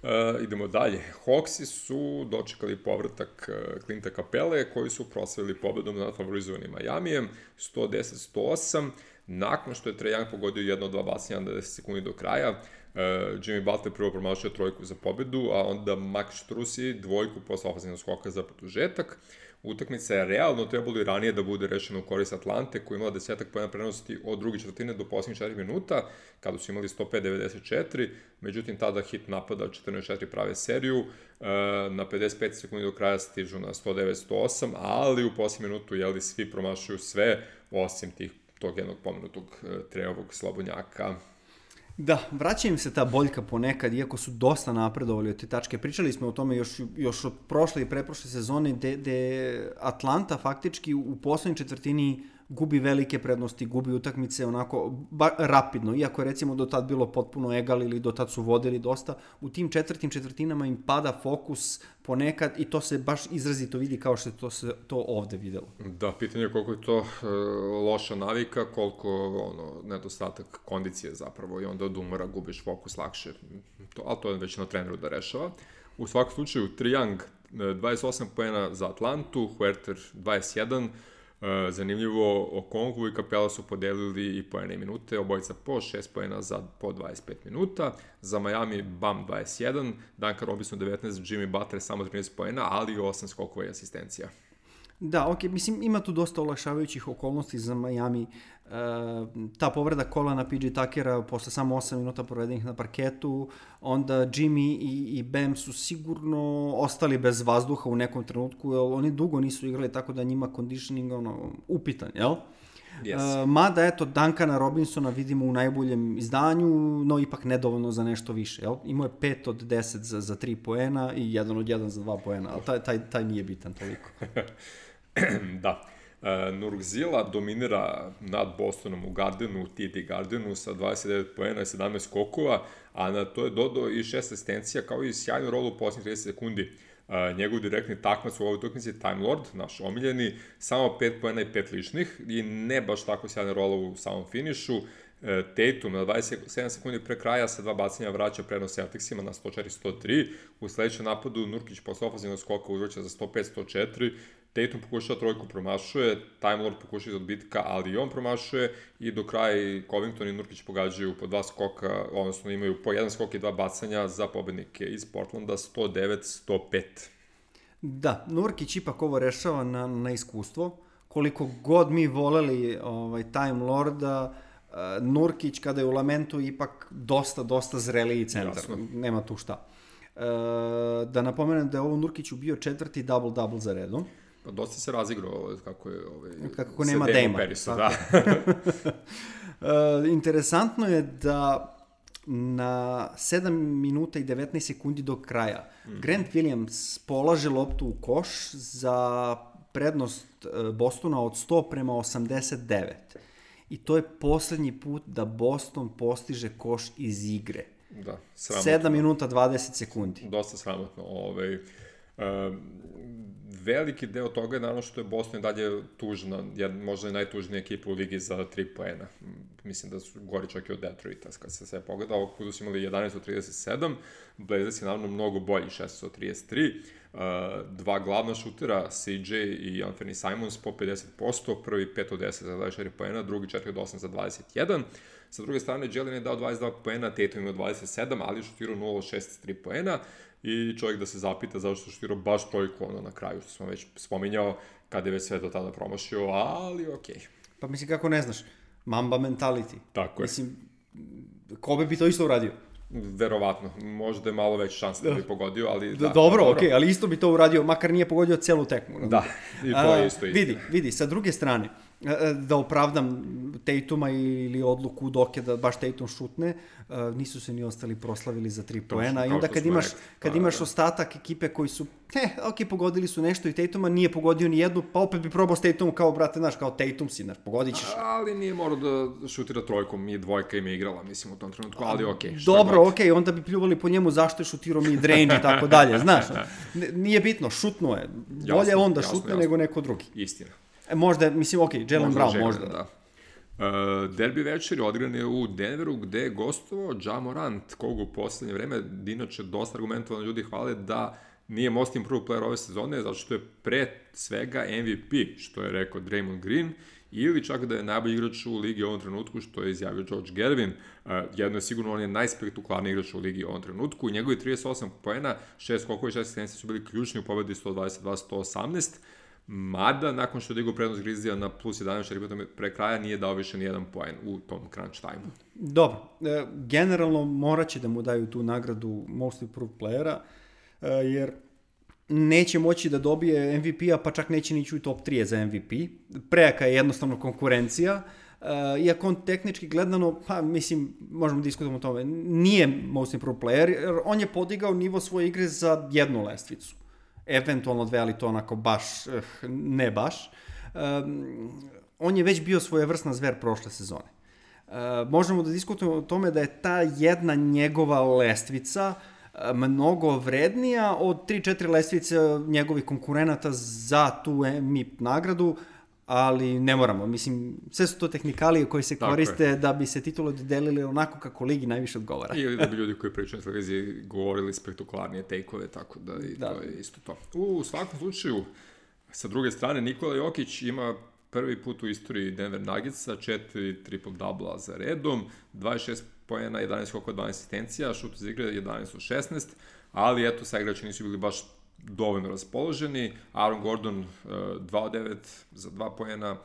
Uh, idemo dalje. Hawksi su dočekali povratak uh, Clinta Capele, koji su proslavili pobedom nad favorizovanim Majamijem, sto deset sto osam, nakon što je Trae Young pogodio jedno od dva bacanja na deset sekundi do kraja. Uh, Jimmy Butler prvo promašio trojku za pobedu, a onda Max Strusi dvojku posle ofenzivnog skoka za produžetak. Utakmica je realno trebalo i ranije da bude rešena u korist Atlante, koja je imala desetak poena prednosti od druge četvrtine do posljednjih četiri minuta, kada su imali sto pet devedeset četiri, međutim tada hit napada četrnaest četiri prave seriju, na pedeset pet sekundi do kraja stižu na sto devet sto osam, ali u posljednju minutu jeli, svi promašuju sve, osim tih, tog jednog pomenutog Treovog slobodnjaka. Da, vraća im se ta boljka ponekad, iako su dosta napredovali od te tačke. Pričali smo o tome još, još od prošle i preprošle sezone, gde Atlanta faktički u poslednjoj četvrtini gubi velike prednosti, gubi utakmice onako ba, rapidno, iako je recimo do tad bilo potpuno egal ili do tad su vodili dosta, u tim četvrtim četvrtinama im pada fokus ponekad i to se baš izrazito vidi kao što je to se to ovde videlo. Da, pitanje je koliko je to e, loša navika, koliko ono, nedostatak kondicije zapravo i onda od umora gubiš fokus lakše, to, ali to je već na treneru da rešava. U svakom slučaju, Trae Young dvadeset osam poena za Atlantu, Huerter dvadeset jedan, Uh, zanimljivo, Okongwu i Capela su podelili i poene i minute, obojica po šest poena za po dvadeset pet minuta. Za Miami Bam dvadeset jedan, Duncan Robinson devetnaest, Jimmy Butler samo trinaest poena, ali i osam skokova i asistencija. Da, ok, mislim, ima tu dosta olakšavajućih okolnosti za Miami. E, ta povreda kolana P J Tuckera posle samo osam minuta provedenih na parketu, onda Jimmy i, i Bam su sigurno ostali bez vazduha u nekom trenutku, jer oni dugo nisu igrali, tako da njima conditioning ono, upitan, jel? Yes. E, mada, eto, Duncana Robinsona vidimo u najboljem izdanju, no ipak nedovoljno za nešto više, jel? Imao je pet od deset za, za tri poena i jedan od jedan za dva poena, ali taj, taj, taj nije bitan toliko. Da. Uh, Nurkzila dominira nad Bostonom u Gardenu, T D Gardenu sa dvadeset devet poena i sedamnaest skokova, a na to je dodao i šest asistencija kao i sjajnu rolu u posljednjih trideset sekundi. Uh, njegov direktni takmac u ovoj utakmici Time Lord, naš omiljeni, samo pet poena i pet ličnih i ne baš tako sjajna rola u samom finišu. Uh, Tatum na dvadeset sedam sekundi pre kraja sa dva bacanja vraća prednost Celticsima na sto četiri sto tri. U sledećem napadu Nurkić posle ofenzivnog skoka uzvraća za sto pet sto četiri. Tatum pokušava trojku, promašuje, Time Lord pokušava iz odbitka, ali i on promašuje i do kraja i Covington i Nurkić pogađaju po dva skoka, odnosno imaju po jedan skok i dva bacanja za pobednike iz Portlanda sto devet sto pet. Da, Nurkić ipak ovo rešava na, na iskustvo. Koliko god mi voleli ovaj, Time Lorda, uh, Nurkić kada je u Lamentu ipak dosta, dosta zreliji centar. Jasno. Nema tu šta. Uh, da napomenem da je ovo Nurkiću bio četvrti double-double za redom. Pa dosta se razigrao kako je ovaj, kako nema Dejma. Da. uh, interesantno je da na sedam minuta i devetnaest sekundi do kraja mm. Grant Williams polaže loptu u koš za prednost Bostona od sto prema osamdeset devet. I to je poslednji put da Boston postiže koš iz igre. Da, sramotno. sedam minuta dvadeset sekundi. Dosta sramotno. Ovaj, uh, veliki deo toga je naravno što je Boston dalje tužna, jed, možda je najtužnija ekipa u ligi za tri poena. Mislim da su gori čak i od Detroita, kad se sve pogleda. Ovog puta su imali jedanaest od trideset sedam, Blazers je naravno mnogo bolji, šesnaest od trideset tri. Uh, dva glavna šutera, C J i Anthony Simons po pedeset posto, prvi pet od deset za dvadeset četiri poena, drugi četiri od osam za dvadeset jedan. Sa druge strane, Jalen je dao dvadeset dva poena, Tatum ima dvadeset sedam, ali je šutirao nula od šest tri poena i čovjek da se zapita zašto je šutirao baš trojku ono na kraju, što smo već spominjao, kada je već sve do tada promašio, ali okej. Okay. Pa mislim, kako ne znaš, Mamba mentality. Tako je. Mislim, Kobe bi to isto uradio. Verovatno, možda je malo već šansa da bi pogodio, ali da. Dobro, dobro. okej, okay, ali isto bi to uradio, makar nije pogodio celu tekmu. Da, i to je isto isto. Vidi, vidi, sa druge strane, da opravdam Tatuma ili odluku Doke da baš Tatum šutne, nisu se ni ostali proslavili za tri poena i onda kad imaš, kad imaš ostatak ekipe koji su, eh, ok, pogodili su nešto i Tatuma nije pogodio ni jednu, pa opet bi probao s Tatumom kao, brate, znaš, kao Tatum si, znaš, pogodit ćeš. Ali nije morao da šutira trojkom, i dvojka im je igrala, mislim, u tom trenutku, ali okej. Okay, dobro, okej, okay, onda bi pljuvali po njemu zašto je šutirao mid-range i tako dalje, znaš. Nije bitno, šutno je. Bolje on da šutne nego neko drugi. Istina. E, možda, mislim, okej, okay, Jalen Brown, možda. Da. Uh, derbi večeri odigran je u Denveru, gde je gostovao Ja Morant, koga u poslednje vreme, inače dosta argumentovano ljudi hvale da nije most improved player ove sezone, zato što je pre svega M V P, što je rekao Draymond Green, ili čak da je najbolji igrač u ligi u ovom trenutku, što je izjavio George Gervin. Uh, jedno je sigurno, on je najspektakularniji igrač u ligi u ovom trenutku. Njegovi trideset osam poena, šest skokova i šest asistencija su bili ključni u pobedi sto dvadeset dva sto osamnaest. Mada, nakon što je digao prednost Grizzlija na plus jedanaest, četiri pre kraja nije dao više ni jedan poen u tom crunch time-u. Dobro, e, generalno morat će da mu daju tu nagradu Most Improved Playera, e, jer neće moći da dobije M V P-a, pa čak neće nići u top tri za M V P. Prejaka je jednostavno konkurencija, e, iako on tehnički gledano, pa mislim, možemo diskutati o tome, nije Most Improved Player, jer on je podigao nivo svoje igre za jednu lestvicu. Eventualno dve, ali to onako baš, ne baš. Um, on je već bio svojevrsna zver prošle sezone. Uh, možemo da diskutujemo o tome da je ta jedna njegova lestvica mnogo vrednija od tri četiri lestvice njegovih konkurenata za tu M I P nagradu, ali ne moramo. Mislim, sve su to tehnikalije koje se tako koriste je. Da bi se titule dodelili onako kako ligi najviše odgovara. Ili da bi ljudi koji pričaju na televiziji govorili spektakularnije take-ove, tako da i da. To je isto to. U svakom slučaju, sa druge strane, Nikola Jokić ima prvi put u istoriji Denver Nuggetsa, četiri triple-double za redom, dvadeset šest poena, jedanaest skokova, dvanaest asistencija, šut iz igre jedanaest od šesnaest, ali eto, sa igrači nisu bili baš dovoljno raspoloženi. Aaron Gordon dva od devet za dva poena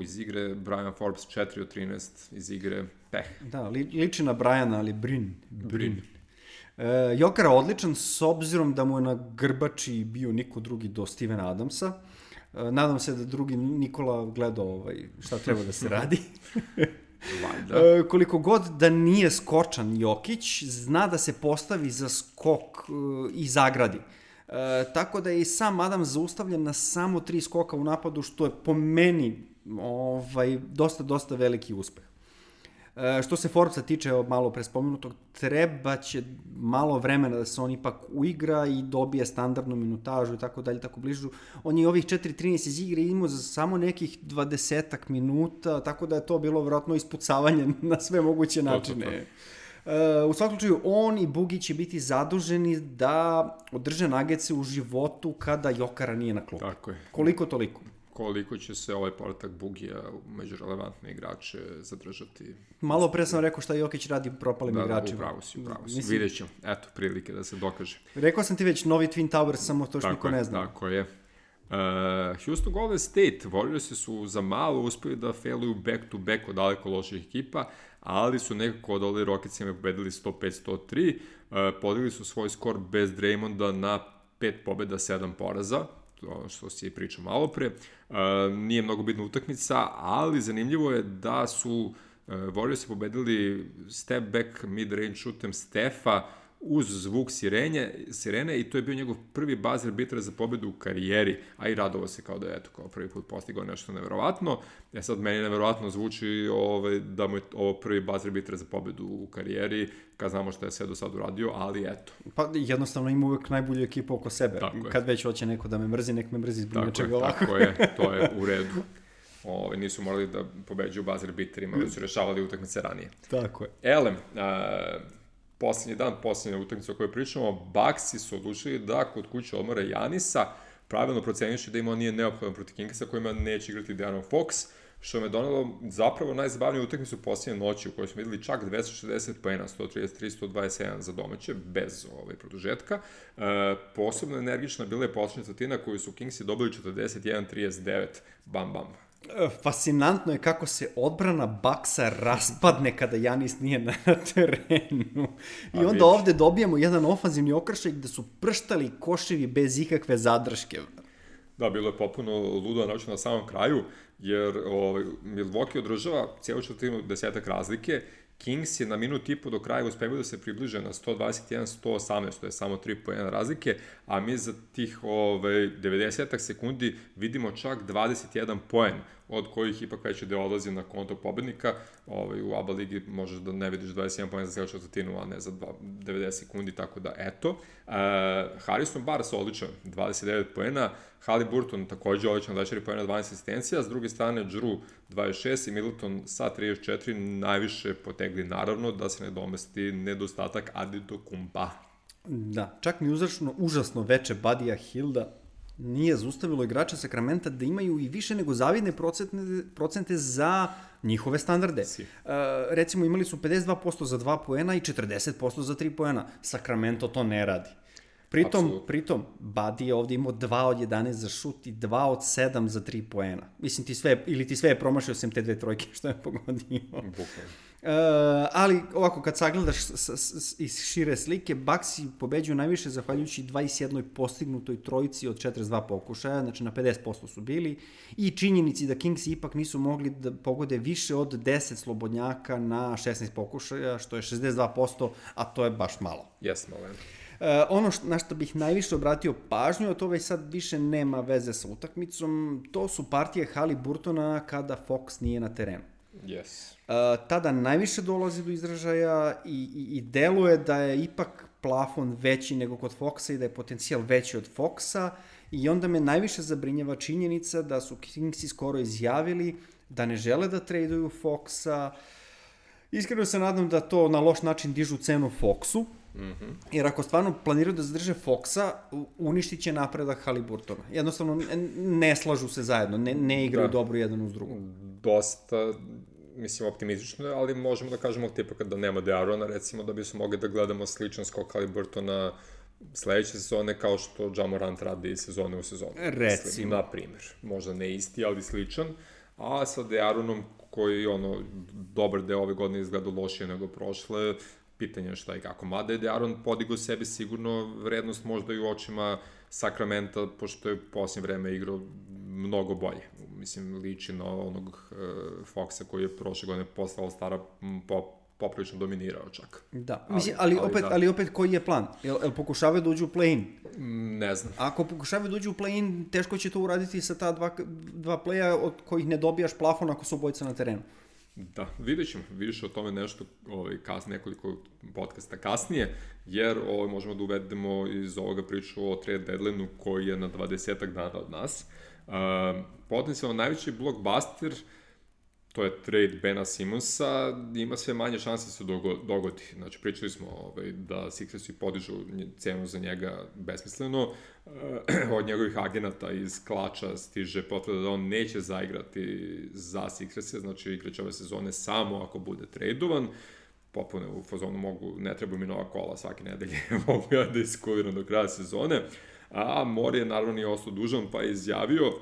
iz igre, Brian Forbes četiri od trinaest iz igre, peh. Da, li, liči na Briana, ali Brin. Brin. E, Jokara odličan s obzirom da mu je na grbači bio niko drugi do Stevena Adamsa. E, nadam se da drugi Nikola gledao ovaj, šta treba da se radi. E, koliko god da nije skočan Jokić, zna da se postavi za skok e, i zagradi. E, tako da je i sam Adam zaustavljen na samo tri skoka u napadu, što je po meni ovaj, dosta, dosta veliki uspeh. E, što se Forbesa tiče, malo pre spomenutog, treba će malo vremena da se on ipak uigra i dobije standardnu minutažu i tako dalje, tako bližu. On je ovih četiri trinaest iz igre imao za samo nekih dvadesetak minuta, tako da je to bilo vjerojatno ispucavanje na sve moguće načine. To, to, to. Uh, u svakom slučaju, on i Bugi će biti zaduženi da održe Nuggetse u životu kada Jokara nije na klupi. Tako je. Koliko toliko. koliko će se ovaj povratak Bugija među relevantne igrače zadržati. Malo pre sam rekao šta Jokić radi propalim da, igračima. Da, upravo si, upravo si. Mislim... Vidjet ćemo. Eto, prilike da se dokaže. Rekao sam ti već, novi Twin Towers, samo to što niko ne zna. Tako je. Uh, Houston Golden State, Warriorsi su za malo uspeli da failuju back to back od daleko loših ekipa, ali su nekako odali Rocketsima pobedili sto pet sto tri, uh, podigli su svoj skor bez Draymonda na pet pobeda, sedam poraza, ono što si pričao malo pre. Uh, nije mnogo bitna utakmica, ali zanimljivo je da su uh, Warriorsi pobedili step back mid-range shootem Stefa uz zvuk sirenje, sirene i to je bio njegov prvi buzzer beater za pobedu u karijeri, a i radovao se kao da je eto, kao prvi put postigao nešto neverovatno. E sad, meni neverovatno zvuči ovaj, da mu je ovo prvi buzzer beater za pobedu u karijeri, kad znamo što je sve do sad uradio, ali eto. Pa jednostavno ima uvek najbolju ekipu oko sebe. Tako kad je. već hoće neko da me mrzi, nek me mrzi zbog nečega ovako. Tako je, to je u redu. Ove, nisu morali da pobeđuju buzzer beaterima, već su rešavali utakmice ranije. Tako je. Elem, a, poslednji dan, poslednja utakmica o kojoj pričamo, Bucksi su odlučili da kod kuće odmore Janisa, pravilno proceniši da im on nije neophodan protiv Kingsa kojima neće igrati De'Aaron Fox, što me donalo zapravo najzabavniju utakmicu posljednje noći u kojoj smo videli čak dvesta šezdeset poena, sto trideset tri sto dvadeset jedan za domaće, bez ovaj, produžetka. E, posebno energična bila je posljednja četvrtina koju su Kingsi dobili četrdeset jedan trideset devet, bam bam. Fascinantno je kako se odbrana Bucksa raspadne kada Janis nije na terenu. I onda vidiš. Ovde dobijemo jedan ofanzivni okršaj gde su prštali koševi bez ikakve zadrške. Da, bilo je popuno ludo naočno na samom kraju, jer ovaj, Milwaukee održava cijelu četvrtinu desetak razlike. Kings je na minut i po do kraja uspevaju da se približe na sto dvadeset jedan sto osamnaest, to je samo tri poena razlike, a mi za tih ovaj, devedeset sekundi vidimo čak dvadeset jedan poen, od kojih ipak već deo odlazi na konto pobednika. Ovaj, u A B A ligi možeš da ne vidiš dvadeset jedan poen za cijelu četvrtinu, a ne za devedeset sekundi, tako da eto. Uh, Harrison Barnes odličan, dvadeset devet poena, Haliburton takođe odličan, dvadeset četiri poena, dvanaest asistencija, s druge strane Drew dvadeset šest i Middleton sa trideset četiri najviše potegli, naravno da se ne domesti nedostatak Antetokounmpa. Da, čak mi uzračno užasno veče Budija Hilda nije zaustavilo igrača Sakramenta da imaju i više nego zavidne procente, procente za njihove standarde. Si. Uh, recimo imali su pedeset dva posto za dva poena i četrdeset posto za tri poena. Sacramento to ne radi. Pritom, Absolut. pritom, Buddy je ovde imao dva od jedanaest za šut i dva od sedam za tri poena. Mislim, ti sve, ili ti sve je promašio sem te dve trojke što je pogodio. Bukvalno. Uh, ali ovako kad sagledaš s, s, iz šire slike, Bucksi pobeđuju najviše zahvaljujući dvadeset jednoj postignutoj trojici od četrdeset dva pokušaja, znači na pedeset posto su bili, i činjenici da Kingsi ipak nisu mogli da pogode više od deset slobodnjaka na šesnaest pokušaja, što je šezdeset dva posto, a to je baš malo. Jes, malo. Uh, ono što, na što bih najviše obratio pažnju, a to već sad više nema veze sa utakmicom, to su partije Haliburtona kada Fox nije na terenu. Yes. Uh, tada najviše dolazi do izražaja i, i, i deluje da je ipak plafon veći nego kod Foxa i da je potencijal veći od Foxa, i onda me najviše zabrinjava činjenica da su Kingsi skoro izjavili da ne žele da traduju Foxa. Iskreno se nadam da to na loš način dižu cenu Foxu, mm-hmm. jer ako stvarno planiraju da zadrže Foxa, uništit će napredak Haliburtona. Jednostavno ne slažu se zajedno, ne, ne igraju da. dobro jedan uz drugu. Dosta, mislim, optimistično, ali možemo da kažemo tipa kada nema De'Aarona, recimo da bi smo mogli da gledamo sličan skok Haliburtona sledeće sezone kao što Ja Morant radi sezone u sezonu. Recimo. Mislim, na primjer. Možda ne isti, ali sličan. A sa De'Aaronom, koji ono, dobar deo ove godine izgleda lošije nego prošle, pitanje je šta i kako. Mada je De'Aaron podigao sebi sigurno vrednost možda i u očima Sakramenta, pošto je u posljednje vreme igrao mnogo bolje. Mislim, liči na onog uh, Foxa koji je prošle godine postala stara po, poprilično dominirao čak. Da, ali, mislim, ali, ali, opet, da. ali opet koji je plan? Jel, jel pokušavaju da uđu u play-in? Ne znam. Ako pokušavaju da uđu u play-in, teško će to uraditi sa ta dva, dva playa od kojih ne dobijaš plafon ako su obojica na terenu. Da, vidjet ćemo, vidiš o tome nešto ovaj, kas, nekoliko podcasta kasnije, jer ovaj, možemo da uvedemo iz ovoga priču o trade deadline-u koji je na dvadesetak dana od nas. Uh, potencijalno najveći blockbuster to je trade Bena Simonsa, ima sve manje šanse da se dogodi. Znači, pričali smo ovaj, da Sixersi podižu cenu za njega besmisleno. Od njegovih agenata iz klača stiže potvrda da on neće zaigrati za Sixerse, znači igraće ove sezone samo ako bude tradovan. Popune u fazonu mogu, ne treba mi nova kola svake nedelje, mogu ja da iskuliram do kraja sezone. A Mori je naravno nije ostao dužan, pa je izjavio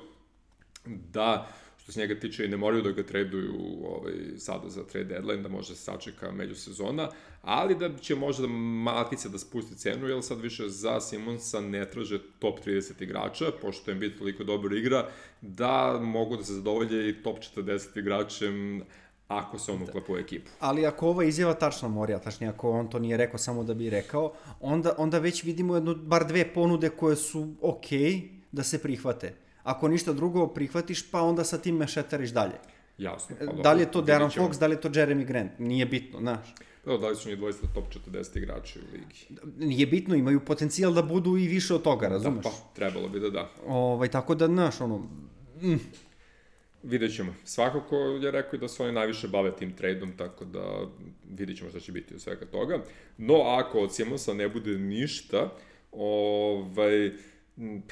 da što se njega tiče i ne moraju da ga traduju ovaj, sada za trade deadline, da može se sačeka međusezona, ali da će možda malkice da spusti cenu, jer sad više za Simonsa ne traže top trideset igrača, pošto je Embiid toliko dobro igra, da mogu da se zadovolje i top četrdeset igračem ako se on uklapa u ekipu. Ali ako ova izjava tačna Morija, tačnije ako on to nije rekao samo da bi rekao, onda, onda već vidimo jedno, bar dve ponude koje su okej okay da se prihvate. Ako ništa drugo prihvatiš, pa onda sa tim mešetariš dalje. Jasno. Pa da li je to De'Aaron Fox, da li je to Jeremy Grant? Nije bitno, znaš. Da, da li su njih dvojstva top četrdeset igrača u ligi? Nije bitno, imaju potencijal da budu i više od toga, razumeš? Da, pa, trebalo bi da da. Ovaj, tako da, znaš, ono... Mm. Vidjet ćemo. Svakako je rekao da se oni najviše bave tim tradeom, tako da vidjet ćemo šta će biti od svega toga. No, ako od Simonsa ne bude ništa, ovaj...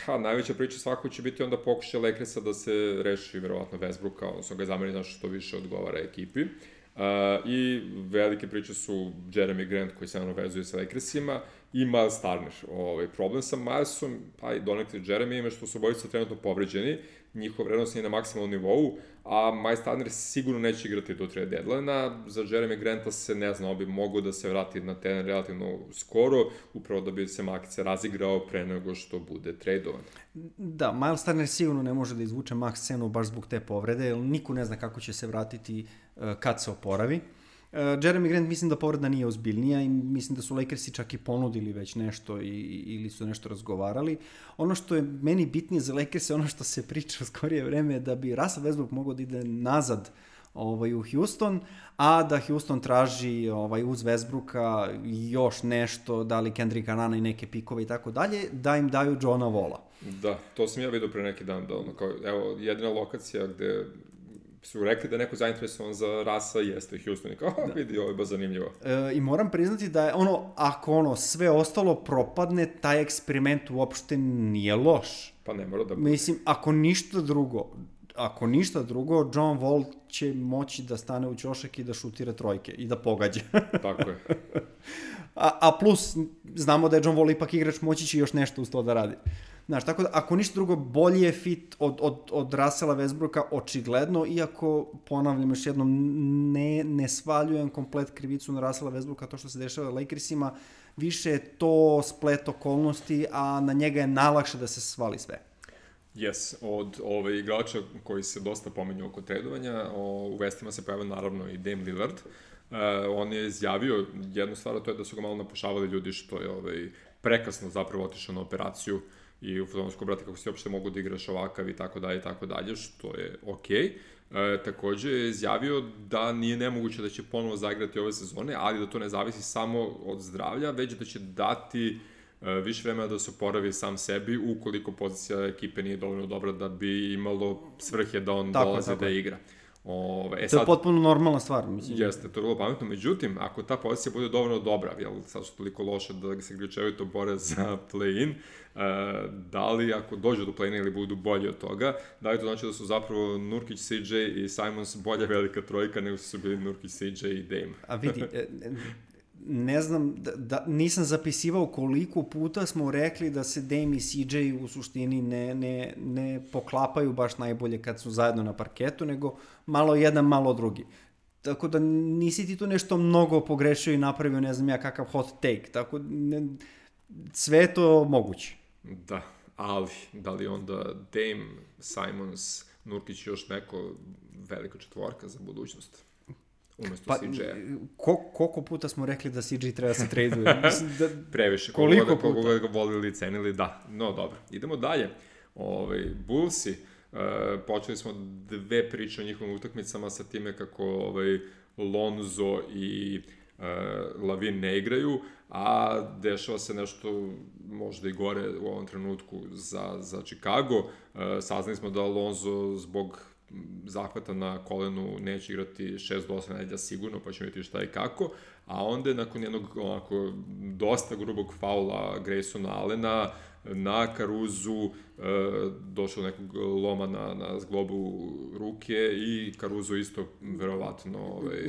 Pa, najveća priča svakako će biti onda pokušaj Lakersa da se reši verovatno Westbrooka, odnosno ga zameni znaš što više odgovara ekipi. Uh, I velike priče su Jeremy Grant koji se naravno vezuje sa Lakersima i Miles Turner. Ovaj, problem sa Milesom, pa i donekle Jeremy je što su obojica trenutno povređeni, njihov vrednost je na maksimalnom nivou, a Miles Turner sigurno neće igrati do trade deadline-a. Za Jeremy Granta se ne zna, on bi mogao da se vrati na teren relativno skoro, upravo da bi se Makice razigrao pre nego što bude tradovan. Da, Miles Turner sigurno ne može da izvuče max cenu baš zbog te povrede, jer niko ne zna kako će se vratiti uh, kad se oporavi. Uh, Jeremy Grant mislim da povreda nije ozbiljnija i mislim da su Lakersi čak i ponudili već nešto i, ili su nešto razgovarali. Ono što je meni bitnije za Lakers je ono što se priča u skorije vreme da bi Russell Westbrook mogao da ide nazad ovaj, u Houston, a da Houston traži ovaj, uz Westbrooka još nešto, da li Kendricka Nunna i neke pikove i tako dalje, da im daju Johna Walla. Da, to sam ja vidio pre neki dan, da ono kao, evo, jedina lokacija gde su rekli da je neko zainteresovan za Rasa jeste Houston i kao, da. Vidi, ovo je baš zanimljivo. E, I moram priznati da je ono, ako ono sve ostalo propadne, taj eksperiment uopšte nije loš. Pa ne mora da bude. Mislim, ako ništa drugo, ako ništa drugo, John Wall će moći da stane u ćošak i da šutira trojke i da pogađa. Tako je. a, a plus, znamo da je John Wall ipak igrač, moći će još nešto uz to da radi. Znaš, tako da, ako ništa drugo, bolji je fit od, od, od Russella Westbrooka, očigledno, iako, ponavljam još jednom, ne, ne svaljujem komplet krivicu na Russella Westbrooka, to što se dešava Lakersima, više je to splet okolnosti, a na njega je najlakše da se svali sve. Yes, od ove igrača koji se dosta pominju oko tradovanja, o, u vestima se pojavio naravno i Dame Lillard. Uh, on je izjavio jednu stvar, to je da su ga malo napušavali ljudi što je ovaj, prekasno zapravo otišao na operaciju i u fotonsku brate kako si uopšte mogu da igraš ovakav i tako dalje i tako dalje, što je okej. Okay. E, takođe je izjavio da nije nemoguće da će ponovo zaigrati ove sezone, ali da to ne zavisi samo od zdravlja, već da će dati e, više vremena da se oporavi sam sebi ukoliko pozicija ekipe nije dovoljno dobra da bi imalo svrhe da on tako, dolaze tako da igra. Ove, e, to je sad, potpuno normalna stvar, mislim. Jeste, to je vrlo pametno. Međutim, ako ta pozicija bude dovoljno dobra, jel, sad su toliko loše da se ključevito bore za play-in, uh, da li ako dođu do play-ina ili budu bolji od toga, da li to znači da su zapravo Nurkić, C J i Simons bolja velika trojka nego su bili Nurkić, C J i Dame? A vidi, ne znam, da, da, nisam zapisivao koliko puta smo rekli da se Dame i C J u suštini ne, ne, ne poklapaju baš najbolje kad su zajedno na parketu, nego malo jedan, malo drugi. Tako da nisi ti tu nešto mnogo pogrešio i napravio, ne znam ja, kakav hot take. Tako ne, sve je to moguće. Da, ali da li onda Dame, Simons, Nurkić još neko velika četvorka za budućnost? Umesto pa, C J-a. Ko, koliko puta smo rekli da C J treba se traduje? Da, previše. Koliko koliko puta? Koliko ga volili i cenili, da. No, dobro. Idemo dalje. Ove, Bullsi, uh, počeli smo dve priče o njihovim utakmicama sa time kako ovaj, Lonzo i uh, Lavin ne igraju, a dešava se nešto možda i gore u ovom trenutku za, za Chicago. Uh, saznali smo da Lonzo zbog zahvata na kolenu neće igrati šest do osam nedelja sigurno, pa ćemo vidjeti šta i kako, a onda je nakon jednog onako dosta grubog faula Graysona Allena na Caruzu e, došlo nekog loma na, na zglobu ruke i Caruso isto verovatno ovaj...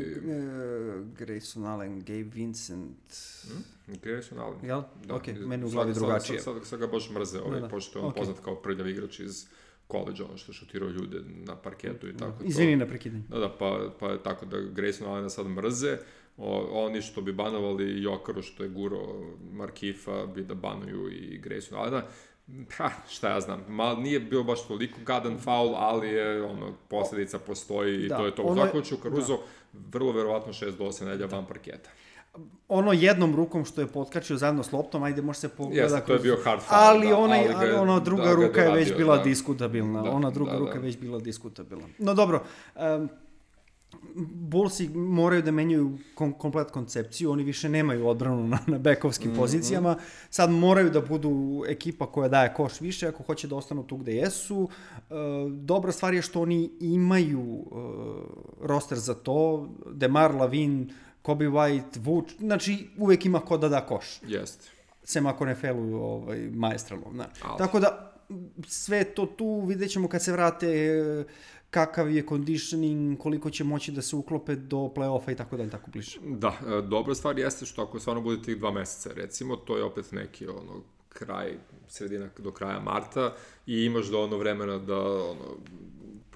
Grayson Allen, Gabe Vincent... Hmm? Grayson Allen. Jel? Da. Ok, meni u glavi drugačije. Sad, sad, sad ga baš mrze, ovaj, da, da. pošto je on okay. poznat kao prljav igrač iz koleđa, ono što šutirao ljude na parketu i tako. Izvini na prekidanje. Da, da, pa, pa je tako da Grayson Allena sad mrze. O, oni što bi banovali Jokaru što je guro Markifa bi da banuju i Grayson Allena. Ha, šta ja znam, mal nije bio baš toliko gadan faul, ali je ono, posljedica postoji i da, to je to. U svakom slučaju Caruso da. vrlo verovatno šest do osam nedelja van parketa. Ono jednom rukom što je potkačio zajedno s loptom, ajde može se pogleda. Jeste, to je bio hard foul. Ali, da, onaj, ali ga, ona druga da, ruka je već radio, bila da. diskutabilna. Da, ona druga da, ruka da. je već bila diskutabilna. No dobro, um, Bullsi moraju da menjaju kom, komplet koncepciju, oni više nemaju odbranu na, na bekovskim mm-hmm. pozicijama, sad moraju da budu ekipa koja daje koš više ako hoće da ostanu tu gde jesu. E, dobra stvar je što oni imaju e, roster za to, DeMar Lavin, Kobe White, Vuč, znači uvek ima ko da da koš. Jeste. Sem ako ne feluju ovaj, maestralom. Znači. Tako da sve to tu vidjet ćemo kad se vrate kakav je conditioning, koliko će moći da se uklope do play-offa i tako dalje, tako bliže. Da, e, dobra stvar jeste što ako stvarno bude tih dva meseca, recimo, to je opet neki ono, kraj, sredina do kraja marta i imaš da ono vremena da ono,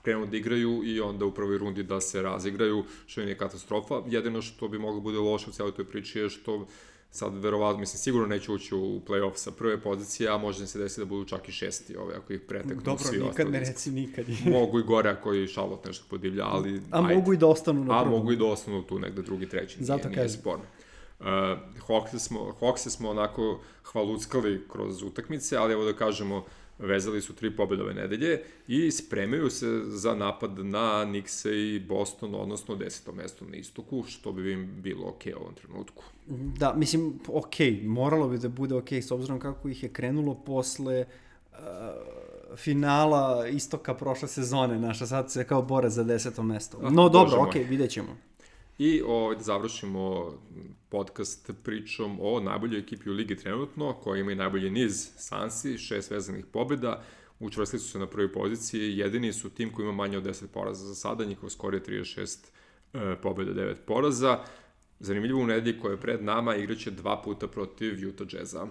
krenu da igraju i onda u prvoj rundi da se razigraju, što nije katastrofa. Jedino što bi moglo bude loše u cijeloj toj priči je što sad verovatno, mislim, sigurno neće ući u play-off sa prve pozicije, a može se desiti da budu čak i šesti ove, ako ih preteknu dobro, svi ostali. Dobro, nikad ne reci nikad. Mogu i gore ako i Charlotte nešto podivlja, ali... A ajde. Mogu i da ostanu na prvom. A mogu i da ostanu tu negde drugi, treći, Zato nije, nije sporno. Uh, Hawkse smo, Hawkse smo onako hvaluckali kroz utakmice, ali evo da kažemo, vezali su tri pobjede ove nedelje i spremaju se za napad na Knickse i Boston, odnosno deseto mesto na istoku, što bi im bilo okej u ovom trenutku. Da, mislim, okej, moralo bi da bude okej, s obzirom kako ih je krenulo posle uh, finala istoka prošle sezone, naša sad se kao bore za deseto mesto. No ah, dobro, okej, vidjet ćemo. I ovaj, da završimo podcast pričom o najboljoj ekipi u ligi trenutno, koja ima i najbolji niz, Sansi, šest vezanih pobjeda, učvrstili su se na prvoj poziciji, jedini su tim koji ima manje od deset poraza za sada, njihov skor je trideset šest e, pobjeda, devet poraza. Zanimljivo u nedelji koja je pred nama igraće dva puta protiv Utah Jazza.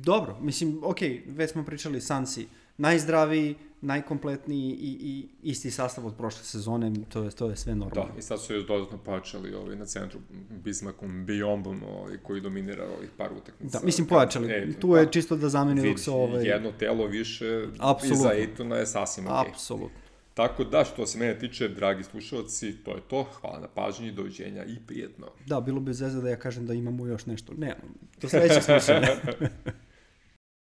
Dobro, mislim, okej, već smo pričali Sansi, najzdraviji, najkompletniji i, i isti sastav od prošle sezone, to je, to je sve normalno. Da, i sad su još dodatno pojačali ovaj, na centru Bismackom Bijombom ovaj, koji dominira ovih par utakmica. Da, mislim pojačali, e, tu je čisto da zameni dok se ovaj... Jedno telo više Apsolutno. Iza Ejtona je sasvim okej. Apsolutno. Tako da, što se mene tiče, dragi slušalci, to je to. Hvala na pažnji, doviđenja i prijetno. Da, bilo bi zezda da ja kažem da imamo još nešto. Ne, do sledećeg slušanja.